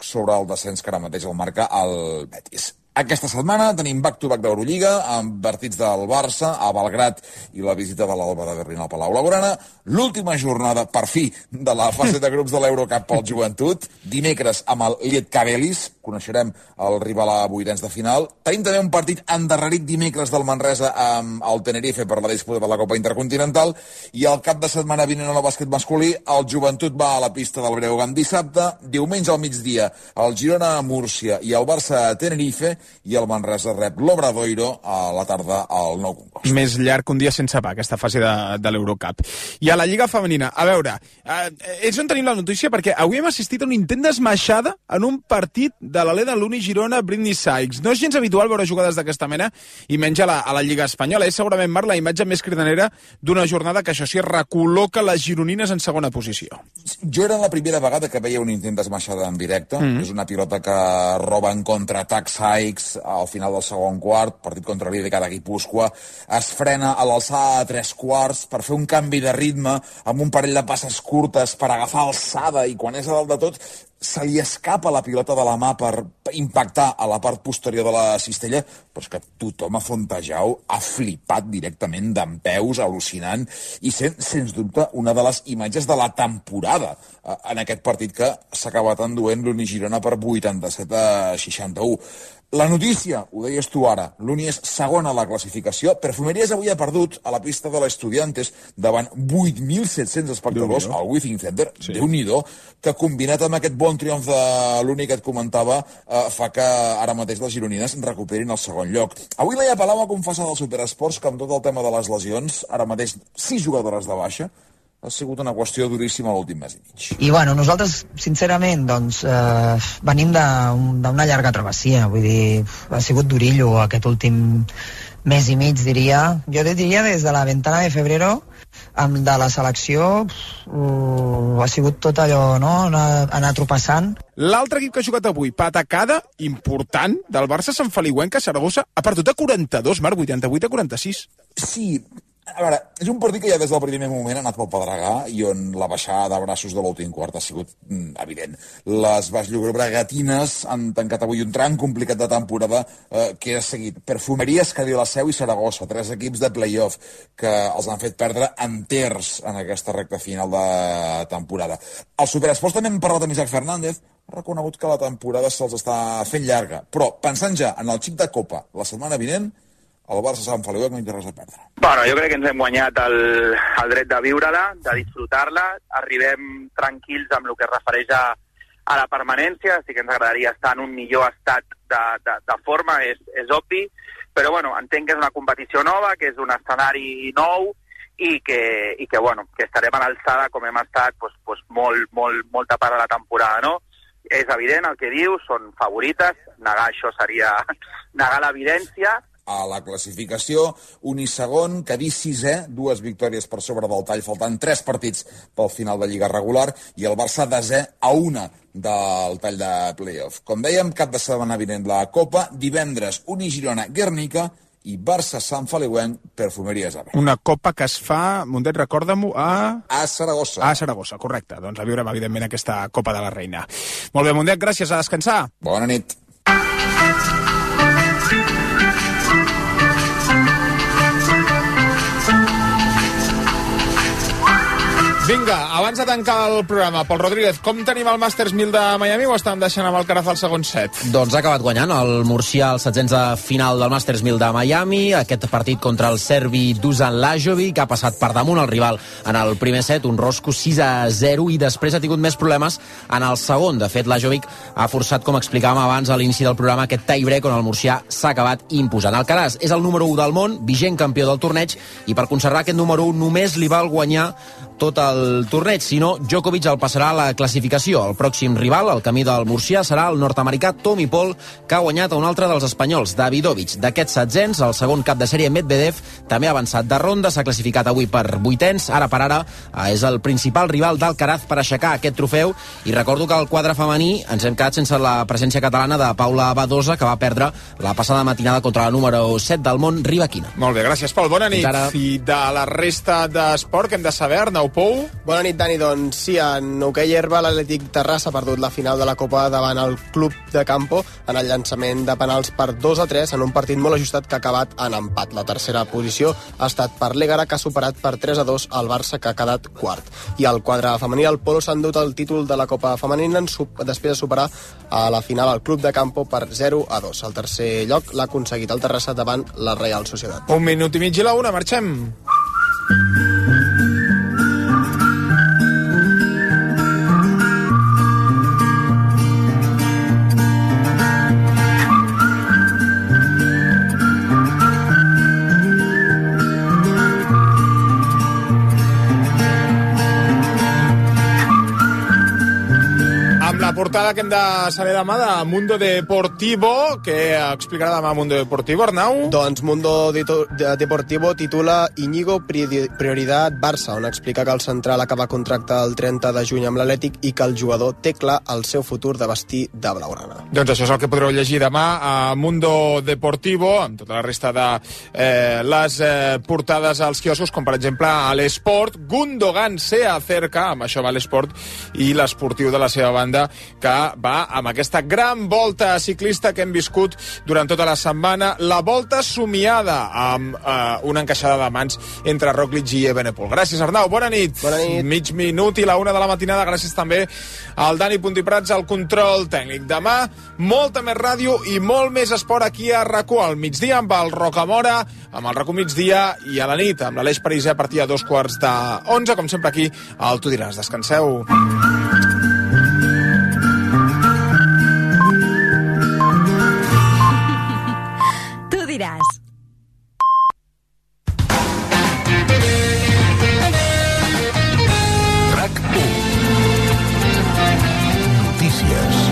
sobre el descens que ara mateix el marca el Betis. Aquesta setmana tenim back-to-back d'Eurolliga amb partits del Barça a Belgrat i la visita de l'Alba de Berlín al Palau Blaugrana. L'última jornada, per fi, de la fase de grups de l'Eurocup pel Joventut. Dimecres amb el Lietkabelis, coneixerem el rival a vuitens de final. Tenim també un partit endarrerit dimecres del Manresa amb el Tenerife per la disputa de la Copa Intercontinental, i el cap de setmana vinent al bàsquet masculí el Joventut va a la pista del Breogán dissabte, diumenge al migdia el Girona a Múrcia i el Barça a Tenerife, i el Manresa rep l'Obradoiro a la tarda al Nou Congost. Més llarg que un dia sense pa, aquesta fase de l'Eurocup. I a la Lliga Femenina, a veure, és on tenim la notícia, perquè avui hem assistit a un intent d'esmaixada en un partit de l'Aleda Luni Girona Britney Sykes. No és gens habitual veure jugades d'aquesta mena, i menys a la Lliga Espanyola. És segurament, Marc, la imatge més cridanera d'una jornada que, això sí, recol·loca les gironines en segona posició. Jo era la primera vegada que veia un intent d'esmaixada en directe. És una pilota que roba en contraatac Sykes al final del segon quart, partit contra l'Írica de Guipúscoa, es frena a l'alçada de 3/4 per fer un canvi de ritme amb un parell de passes curtes per agafar alçada, i quan és a dalt de tot se li escapa la pilota de la mà per impactar a la part posterior de la cistella, però és que tothom a Fontejau ha flipat directament dempeus, al·lucinant, i sens dubte una de les imatges de la temporada en aquest partit que s'ha acabat enduent l'Uni Girona per 87-61. La notícia, ho deies tu ara, l'Uni és segona a la classificació. Perfumeries avui ha perdut a la pista de l'Estudiantes davant 8.700 espectadors al Withing Center, Déu-n'hi-do, que combinat amb aquest bon triomf de l'Uni que et comentava fa que ara mateix les gironines recuperin el segon lloc. Avui Laia Palau va confessar del Superesports que amb tot el tema de les lesions, ara mateix 6 jugadores de baixa, ha sigut una qüestió duríssima l'últim mes i mig. I bueno, nosaltres, sincerament, doncs, venim d'una llarga travessia, vull dir, ha sigut durillo aquest últim mes i mig, diria. Jo diria des de la ventana de febrero, de la selecció, ha sigut tot allò, no?, anar tropeçant. L'altre equip que ha jugat avui, patacada important del Barça Sant Feliuenca, Saragossa, ha perdut a 42, Marc, 88-46. Sí, a veure, és un partit que ja des del primer moment ha anat pel pedregar i on la baixada de braços de l'últim quart ha sigut evident. Les baix llobregatines han tancat avui un tram complicat de temporada que ha seguit Perfumeries, Cadí la Seu i Saragossa, 3 equips de play-off que els han fet perdre enters en aquesta recta final de temporada. Al Superesports també hem parlat amb Isaac Fernández, ha reconegut que la temporada se'ls està fent llarga, però pensant ja en el xic de Copa la setmana vinent, el Barça Sant Feliu no hi té res a perdre. Bueno, jo crec que ens hem guanyat el dret de viure-la, de disfrutar-la. Arribem tranquils amb el que es refereix a la permanència. Sí que ens agradaria estar en un millor estat de forma, és obvi. Però bueno, entenc que és una competició nova, que és un escenari nou i que estarem a l'alçada com hem estat molta part de la temporada, no? És evident el que dius, són favorites. Negar això seria negar l'evidència. A la classificació, Uni segon, Cadí sisè, 2 victòries per sobre del tall, faltant 3 partits pel final de Lliga regular, i el Barça desè a 1 del tall de playoff. Com dèiem, cap de setmana vinent la Copa, divendres Uni Girona Guernica i Barça Sant Feliuenc Perfumeries AB. Una Copa que es fa, Mundet, recorda-m'ho, a Saragossa. A Saragossa, correcte. Doncs la viurem, evidentment, aquesta Copa de la Reina. Molt bé, Mundet, gràcies, a descansar. Bona nit. Vinga, abans de tancar el programa, Pol Rodríguez, com tenim el Masters 1000 de Miami o estàvem deixant amb el Alcaraz al segon set? Doncs ha acabat guanyant el murcià al setzents de final del Masters 1000 de Miami, aquest partit contra el serbi Dusan Lajovic, que ha passat per damunt el rival en el primer set, un rosco 6-0, i després ha tingut més problemes en el segon. De fet, Lajovic ha forçat, com explicàvem abans a l'inici del programa, aquest tie-break on el murcià s'ha acabat imposant. Alcaraz és el número 1 del món, vigent campió del torneig, i per conservar aquest número 1 només li val guanyar tot el torneig, si no, Djokovic el passarà a la classificació. El pròxim rival, al camí del murcià, serà el nord-americà Tommy Paul, que ha guanyat a un altre dels espanyols, Davidovich. D'aquests setzents, el segon cap de sèrie, Medvedev, també ha avançat de ronda, s'ha classificat avui per vuitens, ara per ara és el principal rival d'Alcaraz per aixecar aquest trofeu, i recordo que al quadre femení ens hem quedat sense la presència catalana de Paula Badosa, que va perdre la passada matinada contra la número 7 del món, Rybakina. Molt bé, gràcies, Pol. Bona nit. I de la resta d'esport, que hem de saber, Arnau Pou? Bona nit, Dani. Doncs sí, en hoquei herba l'Atlètic Terrassa ha perdut la final de la Copa davant el Club de Campo en el llançament de penals per 2-3 en un partit molt ajustat que ha acabat en empat. La tercera posició ha estat per l'Ègara, que ha superat per 3-2 el Barça, que ha quedat quart. I al quadre femení, el Polo s'ha endut el títol de la Copa femenina després de superar a la final el Club de Campo per 0-2. El tercer lloc l'ha aconseguit el Terrassa davant la Real Societat. 1 minut i mig i la 1, marxem. portada que hem de saber demà de Mundo Deportivo. Què explicarà demà Mundo Deportivo, Arnau? Doncs Mundo Deportivo titula Íñigo Prioridad Barça, on explica que el central acaba contracte el 30 de juny amb l'Atlètic i que el jugador té clar el seu futur de vestir de blaugrana. Doncs això és el que podreu llegir demà a Mundo Deportivo, amb tota la resta de les portades als quioscos, com per exemple a l'Esport. Gundogan se acerca, amb això va l'Esport, i l'esportiu de la seva banda, que va amb aquesta gran volta ciclista que hem viscut durant tota la setmana, la volta somiada, amb una encaixada de mans entre Roglic i Evenepoel. Gràcies, Arnau, bona nit. Bona nit. Mig minut i la 1 de la matinada. Gràcies també al Dani Puntiprats al control tècnic. Demà, molta més ràdio i molt més esport aquí a RAC1 al migdia amb el Rocamora, amb el RAC1 migdia, i a la nit amb l'Aleix Pariser a partir de 11:15, com sempre aquí al Tu diràs. Descanseu. Tu diràs. RAC1. Notícies.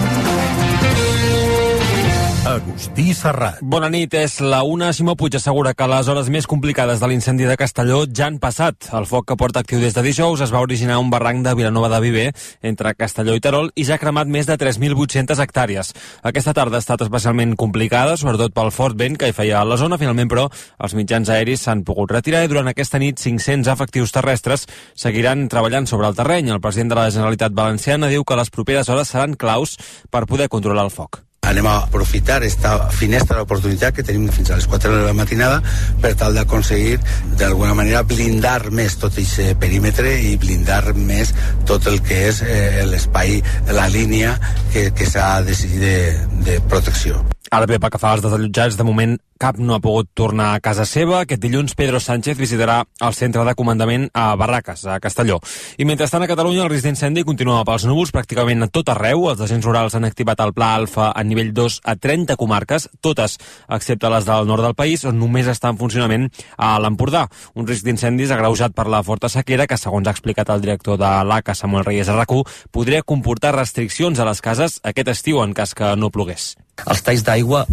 Agustí Serrat. Bona nit, és la 1. Simó Puig assegura que les hores més complicades de l'incendi de Castelló ja han passat. El foc, que porta actiu des de dijous, es va originar a un barranc de Vilanova de Viver, entre Castelló i Terol, i ja ha cremat més de 3.800 hectàrees. Aquesta tarda ha estat especialment complicada, sobretot pel fort vent que hi feia a la zona. Finalment, però, els mitjans aeris s'han pogut retirar i durant aquesta nit 500 efectius terrestres seguiran treballant sobre el terreny. El president de la Generalitat Valenciana diu que les properes hores seran claus per poder controlar el foc. Anem a aprofitar esta finestra d'oportunitat que tenim fins a les 4 de la matinada per tal d'aconseguir d'alguna manera blindar més tot aquest perímetre i blindar més tot el que és l'espai, la línia que s'ha decidit de protecció. Ara bé, pel que fa als desallotjats, de moment cap no ha pogut tornar a casa seva. Aquest dilluns Pedro Sánchez visitarà el centre de comandament a Barraques, a Castelló. I mentrestant a Catalunya el risc d'incendi continua pels núvols pràcticament a tot arreu. Els agents rurals han activat el Pla Alfa a nivell 2 a 30 comarques, totes excepte les del nord del país, on només està en funcionament a l'Empordà. Un risc d'incendis agreujat per la forta sequera que, segons ha explicat el director de l'ACA, Samuel Reyes a RAC1, podria comportar restriccions a les cases aquest estiu en cas que no plogués. Els talls d'aigua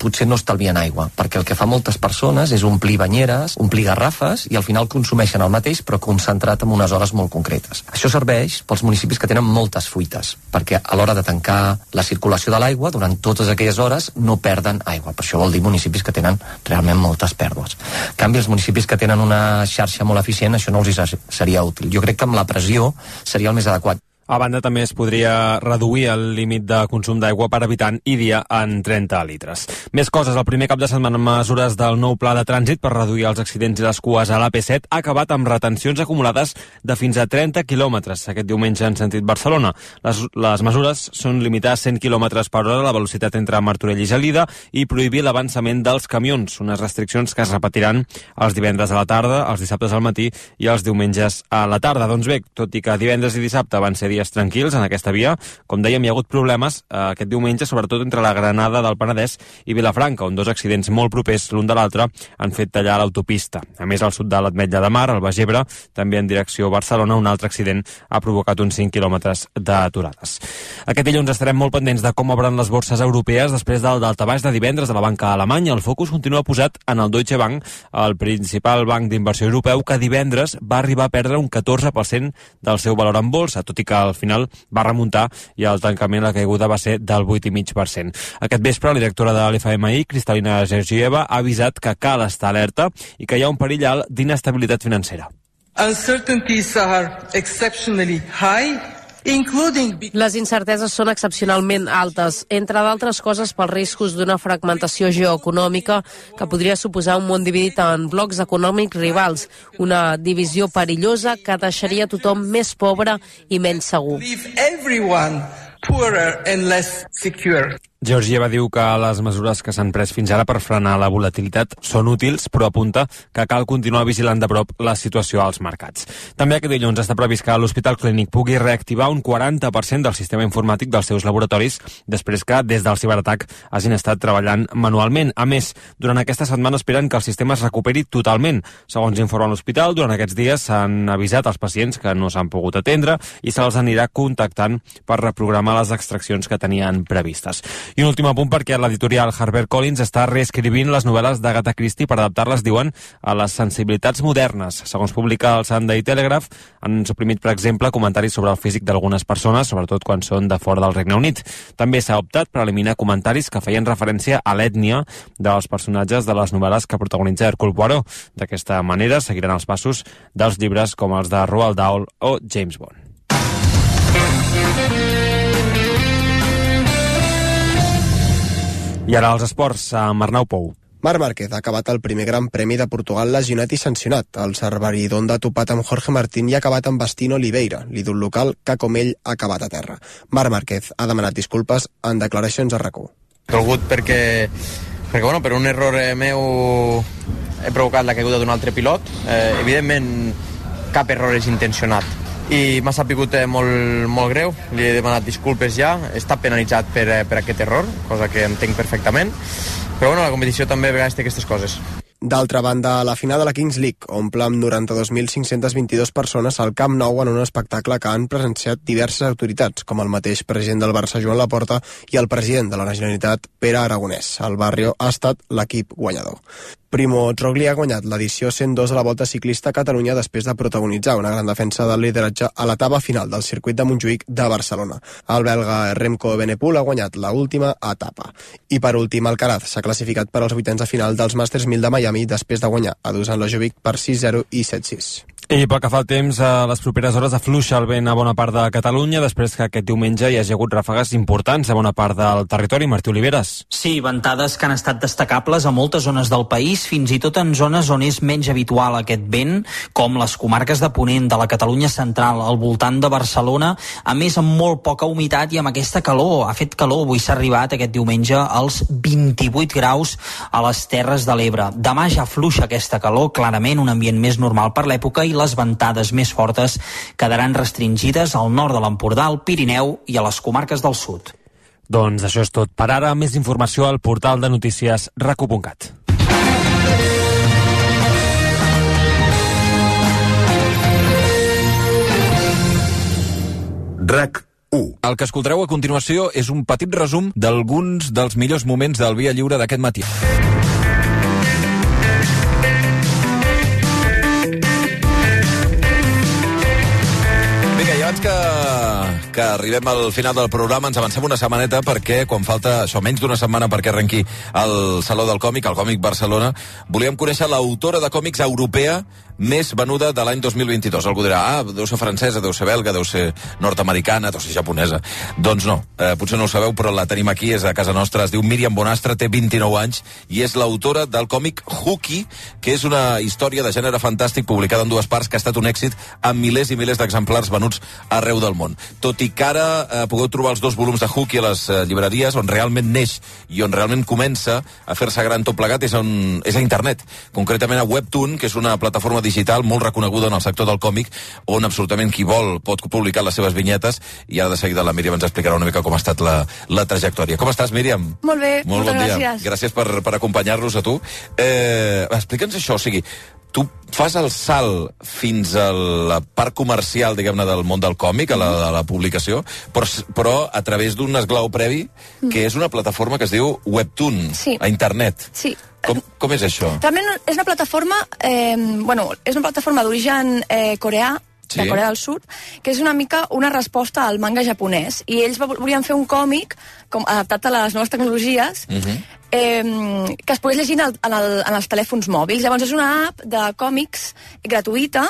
potser no estalvien aigua, perquè el que fa moltes persones és omplir banyeres, omplir garrafes, i al final consumeixen el mateix però concentrat en unes hores molt concretes. Això serveix pels municipis que tenen moltes fuites, perquè a l'hora de tancar la circulació de l'aigua, durant totes aquelles hores no perden aigua. Per això vol dir municipis que tenen realment moltes pèrdues. En canvi, els municipis que tenen una xarxa molt eficient, això no els seria útil. Jo crec que amb la pressió seria el més adequat. A banda, també es podria reduir el límit de consum d'aigua per habitant i dia en 30 litres. Més coses. El primer cap de setmana amb mesures del nou pla de trànsit per reduir els accidents i les cues a l'AP7 ha acabat amb retencions acumulades de fins a 30 quilòmetres aquest diumenge en sentit Barcelona. Les mesures són limitar a 100 quilòmetres per hora la velocitat entre Martorell i Gelida i prohibir l'avançament dels camions, unes restriccions que es repetiran els divendres a la tarda, els dissabtes al matí i els diumenges a la tarda. Doncs bé, tot i que divendres i dissabte van ser dies tranquils en aquesta via, com dèiem, hi ha hagut problemes aquest diumenge, sobretot entre la Granada del Penedès i Vilafranca, on dos accidents molt propers l'un de l'altre han fet tallar l'autopista. A més, al sud de l'Ametlla de Mar, al Baix Ebre, també en direcció a Barcelona, un altre accident ha provocat uns 5 quilòmetres d'aturades. Aquest dilluns estarem molt pendents de com obren les borses europees després del daltabaix de divendres de la banca alemanya. El focus continua posat en el Deutsche Bank, el principal banc d'inversió europeu, que divendres va arribar a perdre un 14% del seu valor en bolsa, tot i que al final va remuntar i al tancament la caiguda va ser del 8,5%. Aquest vespre, la directora de l'FMI, Kristalina Georgieva, ha avisat que cal estar alerta i que hi ha un perill alt d'inestabilitat financera. Uncertainties are exceptionally high. Les incerteses són excepcionalment altes, entre d'altres coses pels riscos d'una fragmentació geoeconòmica que podria suposar un món dividit en blocs econòmics rivals, una divisió perillosa que deixaria tothom més pobre i menys segur. Georgieva diu que les mesures que s'han pres fins ara per frenar la volatilitat són útils, però apunta que cal continuar vigilant de prop la situació als mercats. També aquest dilluns està previst que l'Hospital Clínic pugui reactivar un 40% del sistema informàtic dels seus laboratoris després que, des del ciberatac, hagin estat treballant manualment. A més, durant aquesta setmana esperen que el sistema es recuperi totalment. Segons informa l'hospital, durant aquests dies s'han avisat als pacients que no s'han pogut atendre i se'ls anirà contactant per reprogramar les extraccions que tenien previstes. I un últim apunt perquè l'editorial HarperCollins està reescrivint les novel·les d'Agatha Christie per adaptar-les, diuen, a les sensibilitats modernes. Segons publica el Sunday Telegraph, han suprimit, per exemple, comentaris sobre el físic d'algunes persones, sobretot quan són de fora del Regne Unit. També s'ha optat per eliminar comentaris que feien referència a l'ètnia dels personatges de les novel·les que protagonitza Hercule Poirot. D'aquesta manera seguiran els passos dels llibres com els de Roald Dahl o James Bond. I ara els esports, amb Arnau Pou. Marc Márquez ha acabat el primer Gran Premi de Portugal lesionat i sancionat. El Cerveridonda ha topat amb Jorge Martín i ha acabat amb Bastino Oliveira, l'ídol local, que com ell ha acabat a terra. Marc Márquez ha demanat disculpes en declaracions a RAC1. Dolgut perquè bueno, per un error meu he provocat la caiguda d'un altre pilot. Evidentment cap error és intencionat i m'ha sapigut molt greu, li he demanat disculpes ja, he estat penalitzat per aquest error, cosa que entenc perfectament, però bueno, la competició també a vegades té aquestes coses. D'altra banda, la final de la Kings League omple amb 92.522 persones al Camp Nou en un espectacle que han presenciat diverses autoritats, com el mateix president del Barça, Joan Laporta, i el president de la Generalitat, Pere Aragonès. El Barrio ha estat l'equip guanyador. Primo Roglic ha guanyat l'edició 102 de la Volta Ciclista a Catalunya després de protagonitzar una gran defensa del lideratge a l'etapa final del circuit de Montjuïc de Barcelona. El belga Remco Evenepoel ha guanyat l'última etapa. I per últim, Alcaraz s'ha classificat per als vuitens de final dels Masters 1000 de Miami després de guanyar a Dusan Lajovic per 6-0 i 7-6. I pel que fa al temps, a les properes hores afluixa el vent a bona part de Catalunya després que aquest diumenge hi hagi hagut ràfegues importants a bona part del territori. Martí Oliveres. Sí, ventades que han estat destacables a moltes zones del país, fins i tot en zones on és menys habitual aquest vent, com les comarques de Ponent, de la Catalunya central, al voltant de Barcelona, a més amb molt poca humitat i amb aquesta calor. Ha fet calor, avui s'ha arribat aquest diumenge als 28 graus a les Terres de l'Ebre. Demà ja afluixa aquesta calor, clarament un ambient més normal per l'època, i les ventades més fortes quedaran restringides al nord de l'Empordà, al Pirineu i a les comarques del sud. Doncs això és tot per ara. Més informació al portal de notícies racu.cat. RAC1. El que escoltareu a continuació és un petit resum d'alguns dels millors moments del Via Lliure d'aquest matí. Abans que arribem al final del programa ens avancem una setmaneta perquè quan falta això, menys d'una setmana perquè arrenqui el Saló del Còmic, el Còmic Barcelona, volíem conèixer l'autora de còmics europea més venuda de l'any 2022. Algú dirà, deu ser francesa, deu ser belga, deu ser nord-americana, deu ser japonesa. Doncs no, potser no ho sabeu, però la tenim aquí, és a casa nostra, es diu Míriam Bonastre, té 29 anys i és l'autora del còmic Hooky, que és una història de gènere fantàstic publicada en dues parts que ha estat un èxit amb milers i milers d'exemplars venuts arreu del món. Tot i que ara podeu trobar els 2 volums de Hooky a les llibreries, on realment neix i on realment comença a fer-se gran tot plegat és a internet, concretament a Webtoon, que és una plataforma digital molt reconeguda en el sector del còmic, on absolutament qui vol pot publicar les seves vinyetes, i ara de seguida la Míriam ens explicarà una mica com ha estat la trajectòria. Com estàs, Míriam? Molt bé, molt bon dia. gràcies. Gràcies per acompanyar-nos a tu. Explica'ns això, o sigui, tu fas el salt fins a la part comercial, diguem-ne, del món del còmic, a la publicació, però a través d'un esglau previ, que és una plataforma que es diu Webtoon, a internet. Sí. Com és això? Realment és una plataforma, és una plataforma d'origen coreà, de Corea del Sud, que és una mica una resposta al manga japonès. I ells volien fer un còmic adaptat a les noves tecnologies, que es pogués llegir en els telèfons mòbils. Llavors és una app de còmics gratuïta,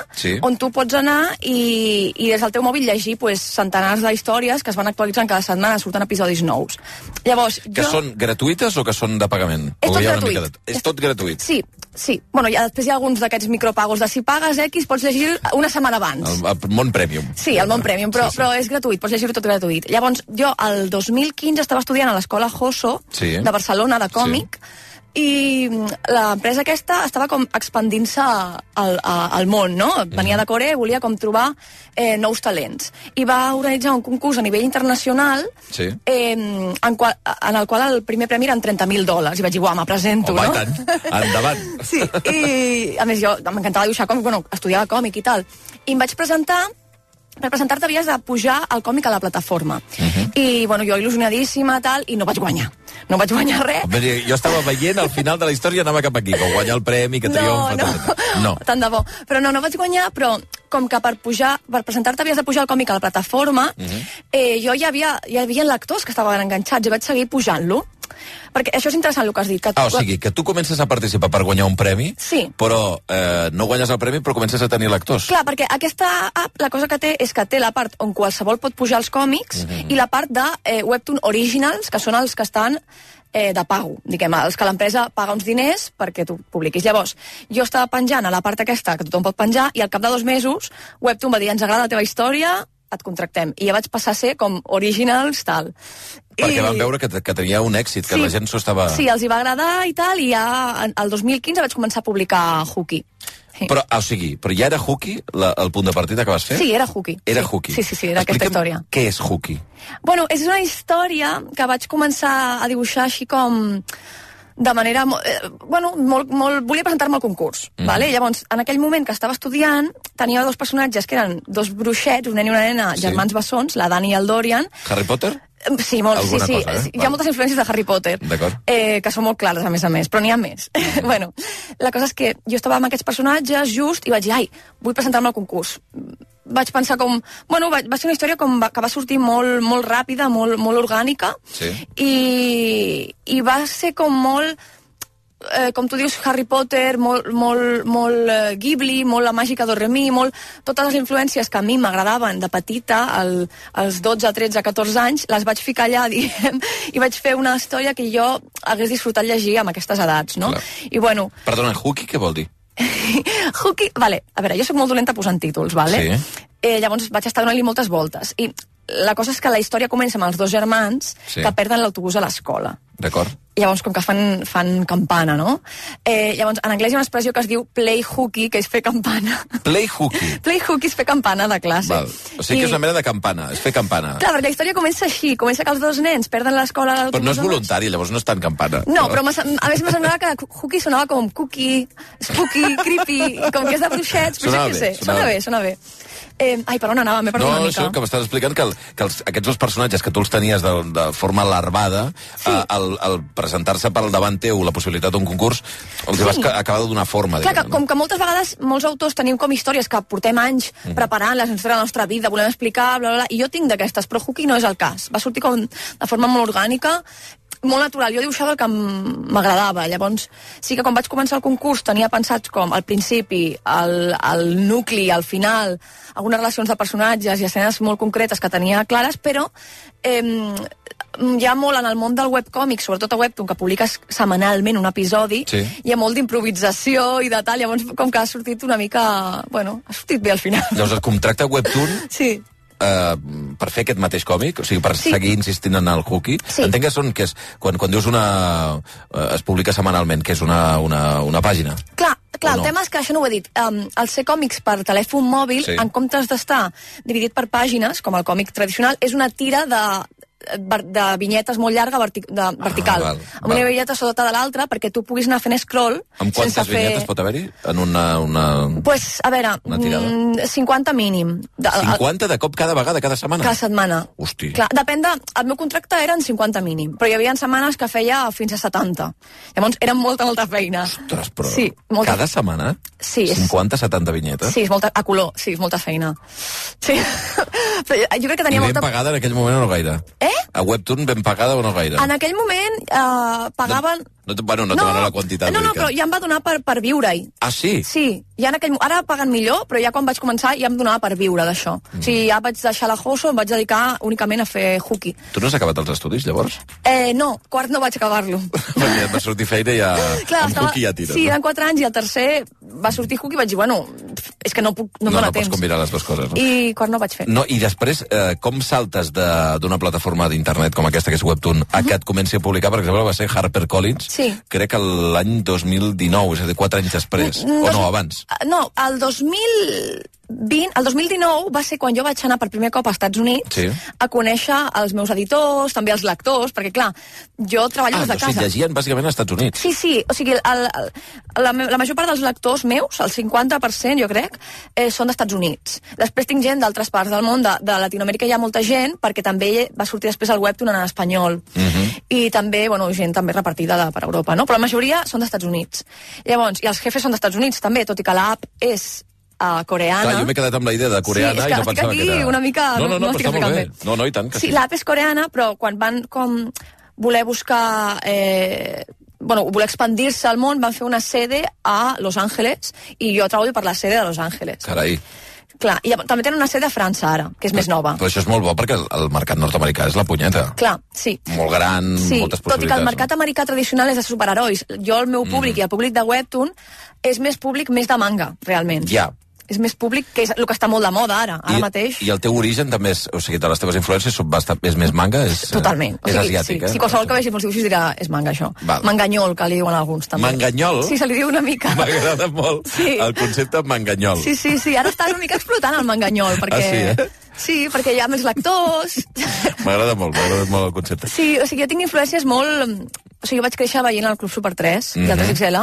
on tu pots anar i des del teu mòbil llegir centenars d'històries que es van actualitzant cada setmana, surten episodis nous. Llavors, que són gratuïtes o que són de pagament? És tot gratuït. És tot gratuït? Sí, Sí, bueno, després hi ha alguns d'aquests micropagos de si pagues X, pots llegir una setmana abans. El món Premium. Sí, el món Premium, però és gratuït, pots llegir-ho tot gratuït. Llavors, jo el 2015 estava estudiant a l'escola Hosso de Barcelona, de còmic, i l'empresa aquesta estava com expandint-se al món, no? Venia de Corea i volia com trobar nous talents. I va organitzar un concurs a nivell internacional en el qual el primer premi eren $30,000. I vaig dir, uau, me presento, no? Home, i tant, endavant. Sí, i a més jo m'encantava dibuixar còmic, bueno, estudiava còmic i tal. I em vaig presentar. Per presentar-te havies de pujar el còmic a la plataforma. I, bueno, jo il·lusionadíssima, tal, i no vaig guanyar. No vaig guanyar res. Jo estava veient al final de la història, anava cap aquí, que guanyar el premi, que triomfa... No, tant de bo. Però no vaig guanyar, però com que per presentar-te havies de pujar el còmic a la plataforma, jo hi havia lectors que estaven enganxats i vaig seguir pujant-lo. Perquè això és interessant el que has dit. O sigui, que tu comences a participar per guanyar un premi, però no guanyes el premi, però comences a tenir lectors. Clar, perquè aquesta app, la cosa que té és que té la part on qualsevol pot pujar els còmics i la part de Webtoon Originals, que són els que estan de pago, diguem, els que l'empresa paga uns diners perquè tu publiquis. Llavors, jo estava penjant a la part aquesta que tothom pot penjar i al cap de 2 mesos Webtoon va dir, ens agrada la teva història, et contractem. I ja vaig passar a ser com Originals, tal. Perquè van veure que tenia un èxit, que la gent s'ho estava... Sí, els hi va agradar i tal, i ja el 2015 vaig començar a publicar Hooky. Però, o sigui, però ja era Hooky el punt de partida que vas fer? Sí, era Hooky. Era Hooky. Sí, era aquesta història. Què és Hooky? Bueno, és una història que vaig començar a dibuixar així com... de manera... volia presentar-me al concurs, vale? Llavors, en aquell moment que estava estudiant, tenia 2 personatges que eren 2 bruixets, un nen i una nena, germans bessons, la Dani i el Dorian. Harry Potter? Sí, molt, sí. Hi ha moltes influències de Harry Potter, que són molt clares, a més, però n'hi ha més. Bueno, la cosa és que jo estava amb aquests personatges just i vaig dir, vull presentar-me al concurs. Vaig pensar com... Bueno, va ser una història que va sortir molt ràpida, molt orgànica, i va ser com molt... com tu dius, Harry Potter, molt Ghibli, molt la màgica d'Oremi, totes les influències que a mi m'agradaven de petita, als 12, 13, 14 anys, les vaig ficar allà, diguem, i vaig fer una història que jo hagués disfrutat llegir amb aquestes edats, no? I bueno... Perdona, Hooky què vol dir? Hooky, vale, a veure, jo soc molt dolenta posant títols, vale? Llavors vaig estar donant-li moltes voltes, i la cosa és que la història comença amb els 2 germans que perden l'autobús a l'escola. D'acord. Llavors, com que fan campana, no? Llavors, en anglès hi ha una expressió que es diu play hooky, que és fer campana. Play hooky? Play hooky és fer campana de classe. Val. O sigui que és una mena de campana, és fer campana. Clar, perquè la història comença així, comença que els 2 nens perden l'escola a l'autobús. Però no és voluntari, llavors no és tan campana. No, però a més me semblava que hooky sonava com cookie, spooky, creepy, com que és de bruixets, però jo què sé, sona bé. Per on anava? M'he perdut una mica. No, això que m'estàs explicant que aquests 2 personatges que tu els tenies de forma larvada, al presentar-se per davant teu la possibilitat d'un concurs, els vas acabar de donar forma. Clar, com que moltes vegades molts autors tenim com històries que portem anys preparant-les en la nostra vida, volem explicar, bla, bla, bla, i jo tinc d'aquestes, però Hooky no és el cas. Va sortir com de forma molt orgànica, molt natural. Jo dibuixava el que m'agradava. Llavors, sí que quan vaig començar el concurs tenia pensats com al principi, el nucli, al final, algunes relacions de personatges i escenes molt concretes que tenia clares, però hi ha molt en el món del webcòmic, sobretot a Webtoon, que publiques setmanalment un episodi, hi ha molt d'improvisació i de tal, llavors com que ha sortit una mica... Bueno, ha sortit bé al final. Llavors el contracte Webtoon... Sí. Per fer aquest mateix còmic, o sigui, per seguir insistint en el Hooky, entenc que és quan dius es publica setmanalment, que és una pàgina. Clar, el tema és que això no ho he dit. El ser còmics per telèfon mòbil, en comptes d'estar dividit per pàgines, com el còmic tradicional, és una tira de vinyetes molt llarga vertical, amb una vinyeta sota de l'altra perquè tu puguis anar fent scroll. Amb quantes vinyetes pot haver-hi en una pues, a veure, 50 mínim. 50 de cop cada vegada, cada setmana? Cada setmana. Hosti. Clar, depèn el meu contracte eren 50 mínim, però hi havia setmanes que feia fins a 70. Llavors era molta feina. Ostres, però cada setmana? Sí. 50-70 vinyetes? Sí, és molta, a color, sí, és molta feina. Sí. Però jo crec que tenia molta... I ben pagada en aquell moment o no gaire? A Webtoon ben pagada o no gaire? En aquell moment pagaven... No te demano la quantitat. No, però ja em va donar per viure-hi. Ah, sí? Sí, ja ara paguen millor, però ja quan vaig començar ja em donava per viure d'això. O sigui, ja vaig deixar la Hoso, em vaig dedicar únicament a fer hooky. Tu no has acabat els estudis, llavors? No, quart no vaig acabar-lo. Perquè et va sortir feina i ja... Clar, amb hooky ja tires. Sí, eren 4 anys i el tercer va sortir hooky i vaig dir, bueno, és que no em dóna temps. No pots combinar les dues coses, no? I quart no vaig fer. No, i després, com saltes d'una plataforma d'internet com aquesta, que és Webtoon, a que et comenci a publicar? Per exemple, va ser HarperCollins, crec que l'any 2019, és a dir, 4 anys després, o no, abans? No, el 2019 va ser quan jo vaig anar per primer cop als Estats Units a conèixer els meus editors, també els lectors, perquè clar, jo treballo des de casa. O sigui, llegien bàsicament als Estats Units. Sí, o sigui, la major part dels lectors meus, el 50% jo crec, són d'Estats Units. Després tinc gent d'altres parts del món, de Latinoamèrica hi ha molta gent, perquè també va sortir després el Webtoon en espanyol. I també, bueno, gent també repartida per Europa, no? Però la majoria són d'Estats Units. Llavors, i els jefes són d'Estats Units també, tot i que l'app és coreana. Clar, jo m'he quedat amb la idea de coreana i no pensava que era... una mica... No, estic explicant bé. No, i tant que sí. Sí, l'app és coreana, però quan van com voler buscar... voler expandir-se al món, van fer una sede a Los Angeles i jo treballo per la sede de Los Angeles. Carai. Clar, i també tenen una sede a França ara, que és més nova. Però això és molt bo perquè el mercat nord-americà és la punyeta. Clar, sí. Molt gran, moltes possibilitats. Tot i que el mercat americà tradicional és de superherois. Jo, el meu públic i el públic de Webtoon és més públic més de manga, realment. Ja. És més públic, que és el que està molt de moda ara mateix. I el teu origen també és, o sigui, de les teves influències és més manga? Totalment. És asiàtic, sí. Si qualsevol que vegi els dibuixos dirà és manga, això. Val. Manganyol, que li diuen alguns, també. Manganyol? Sí, se li diu una mica. M'agrada molt el concepte manganyol. Sí. Ara està una mica explotant el manganyol, perquè... Sí, perquè hi ha més lectors. M'agrada molt el concepte. Sí, o sigui, jo tinc influències molt... O sigui, jo vaig créixer veient el Club Super 3 i el 3XL,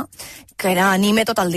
que era anime tot el dia.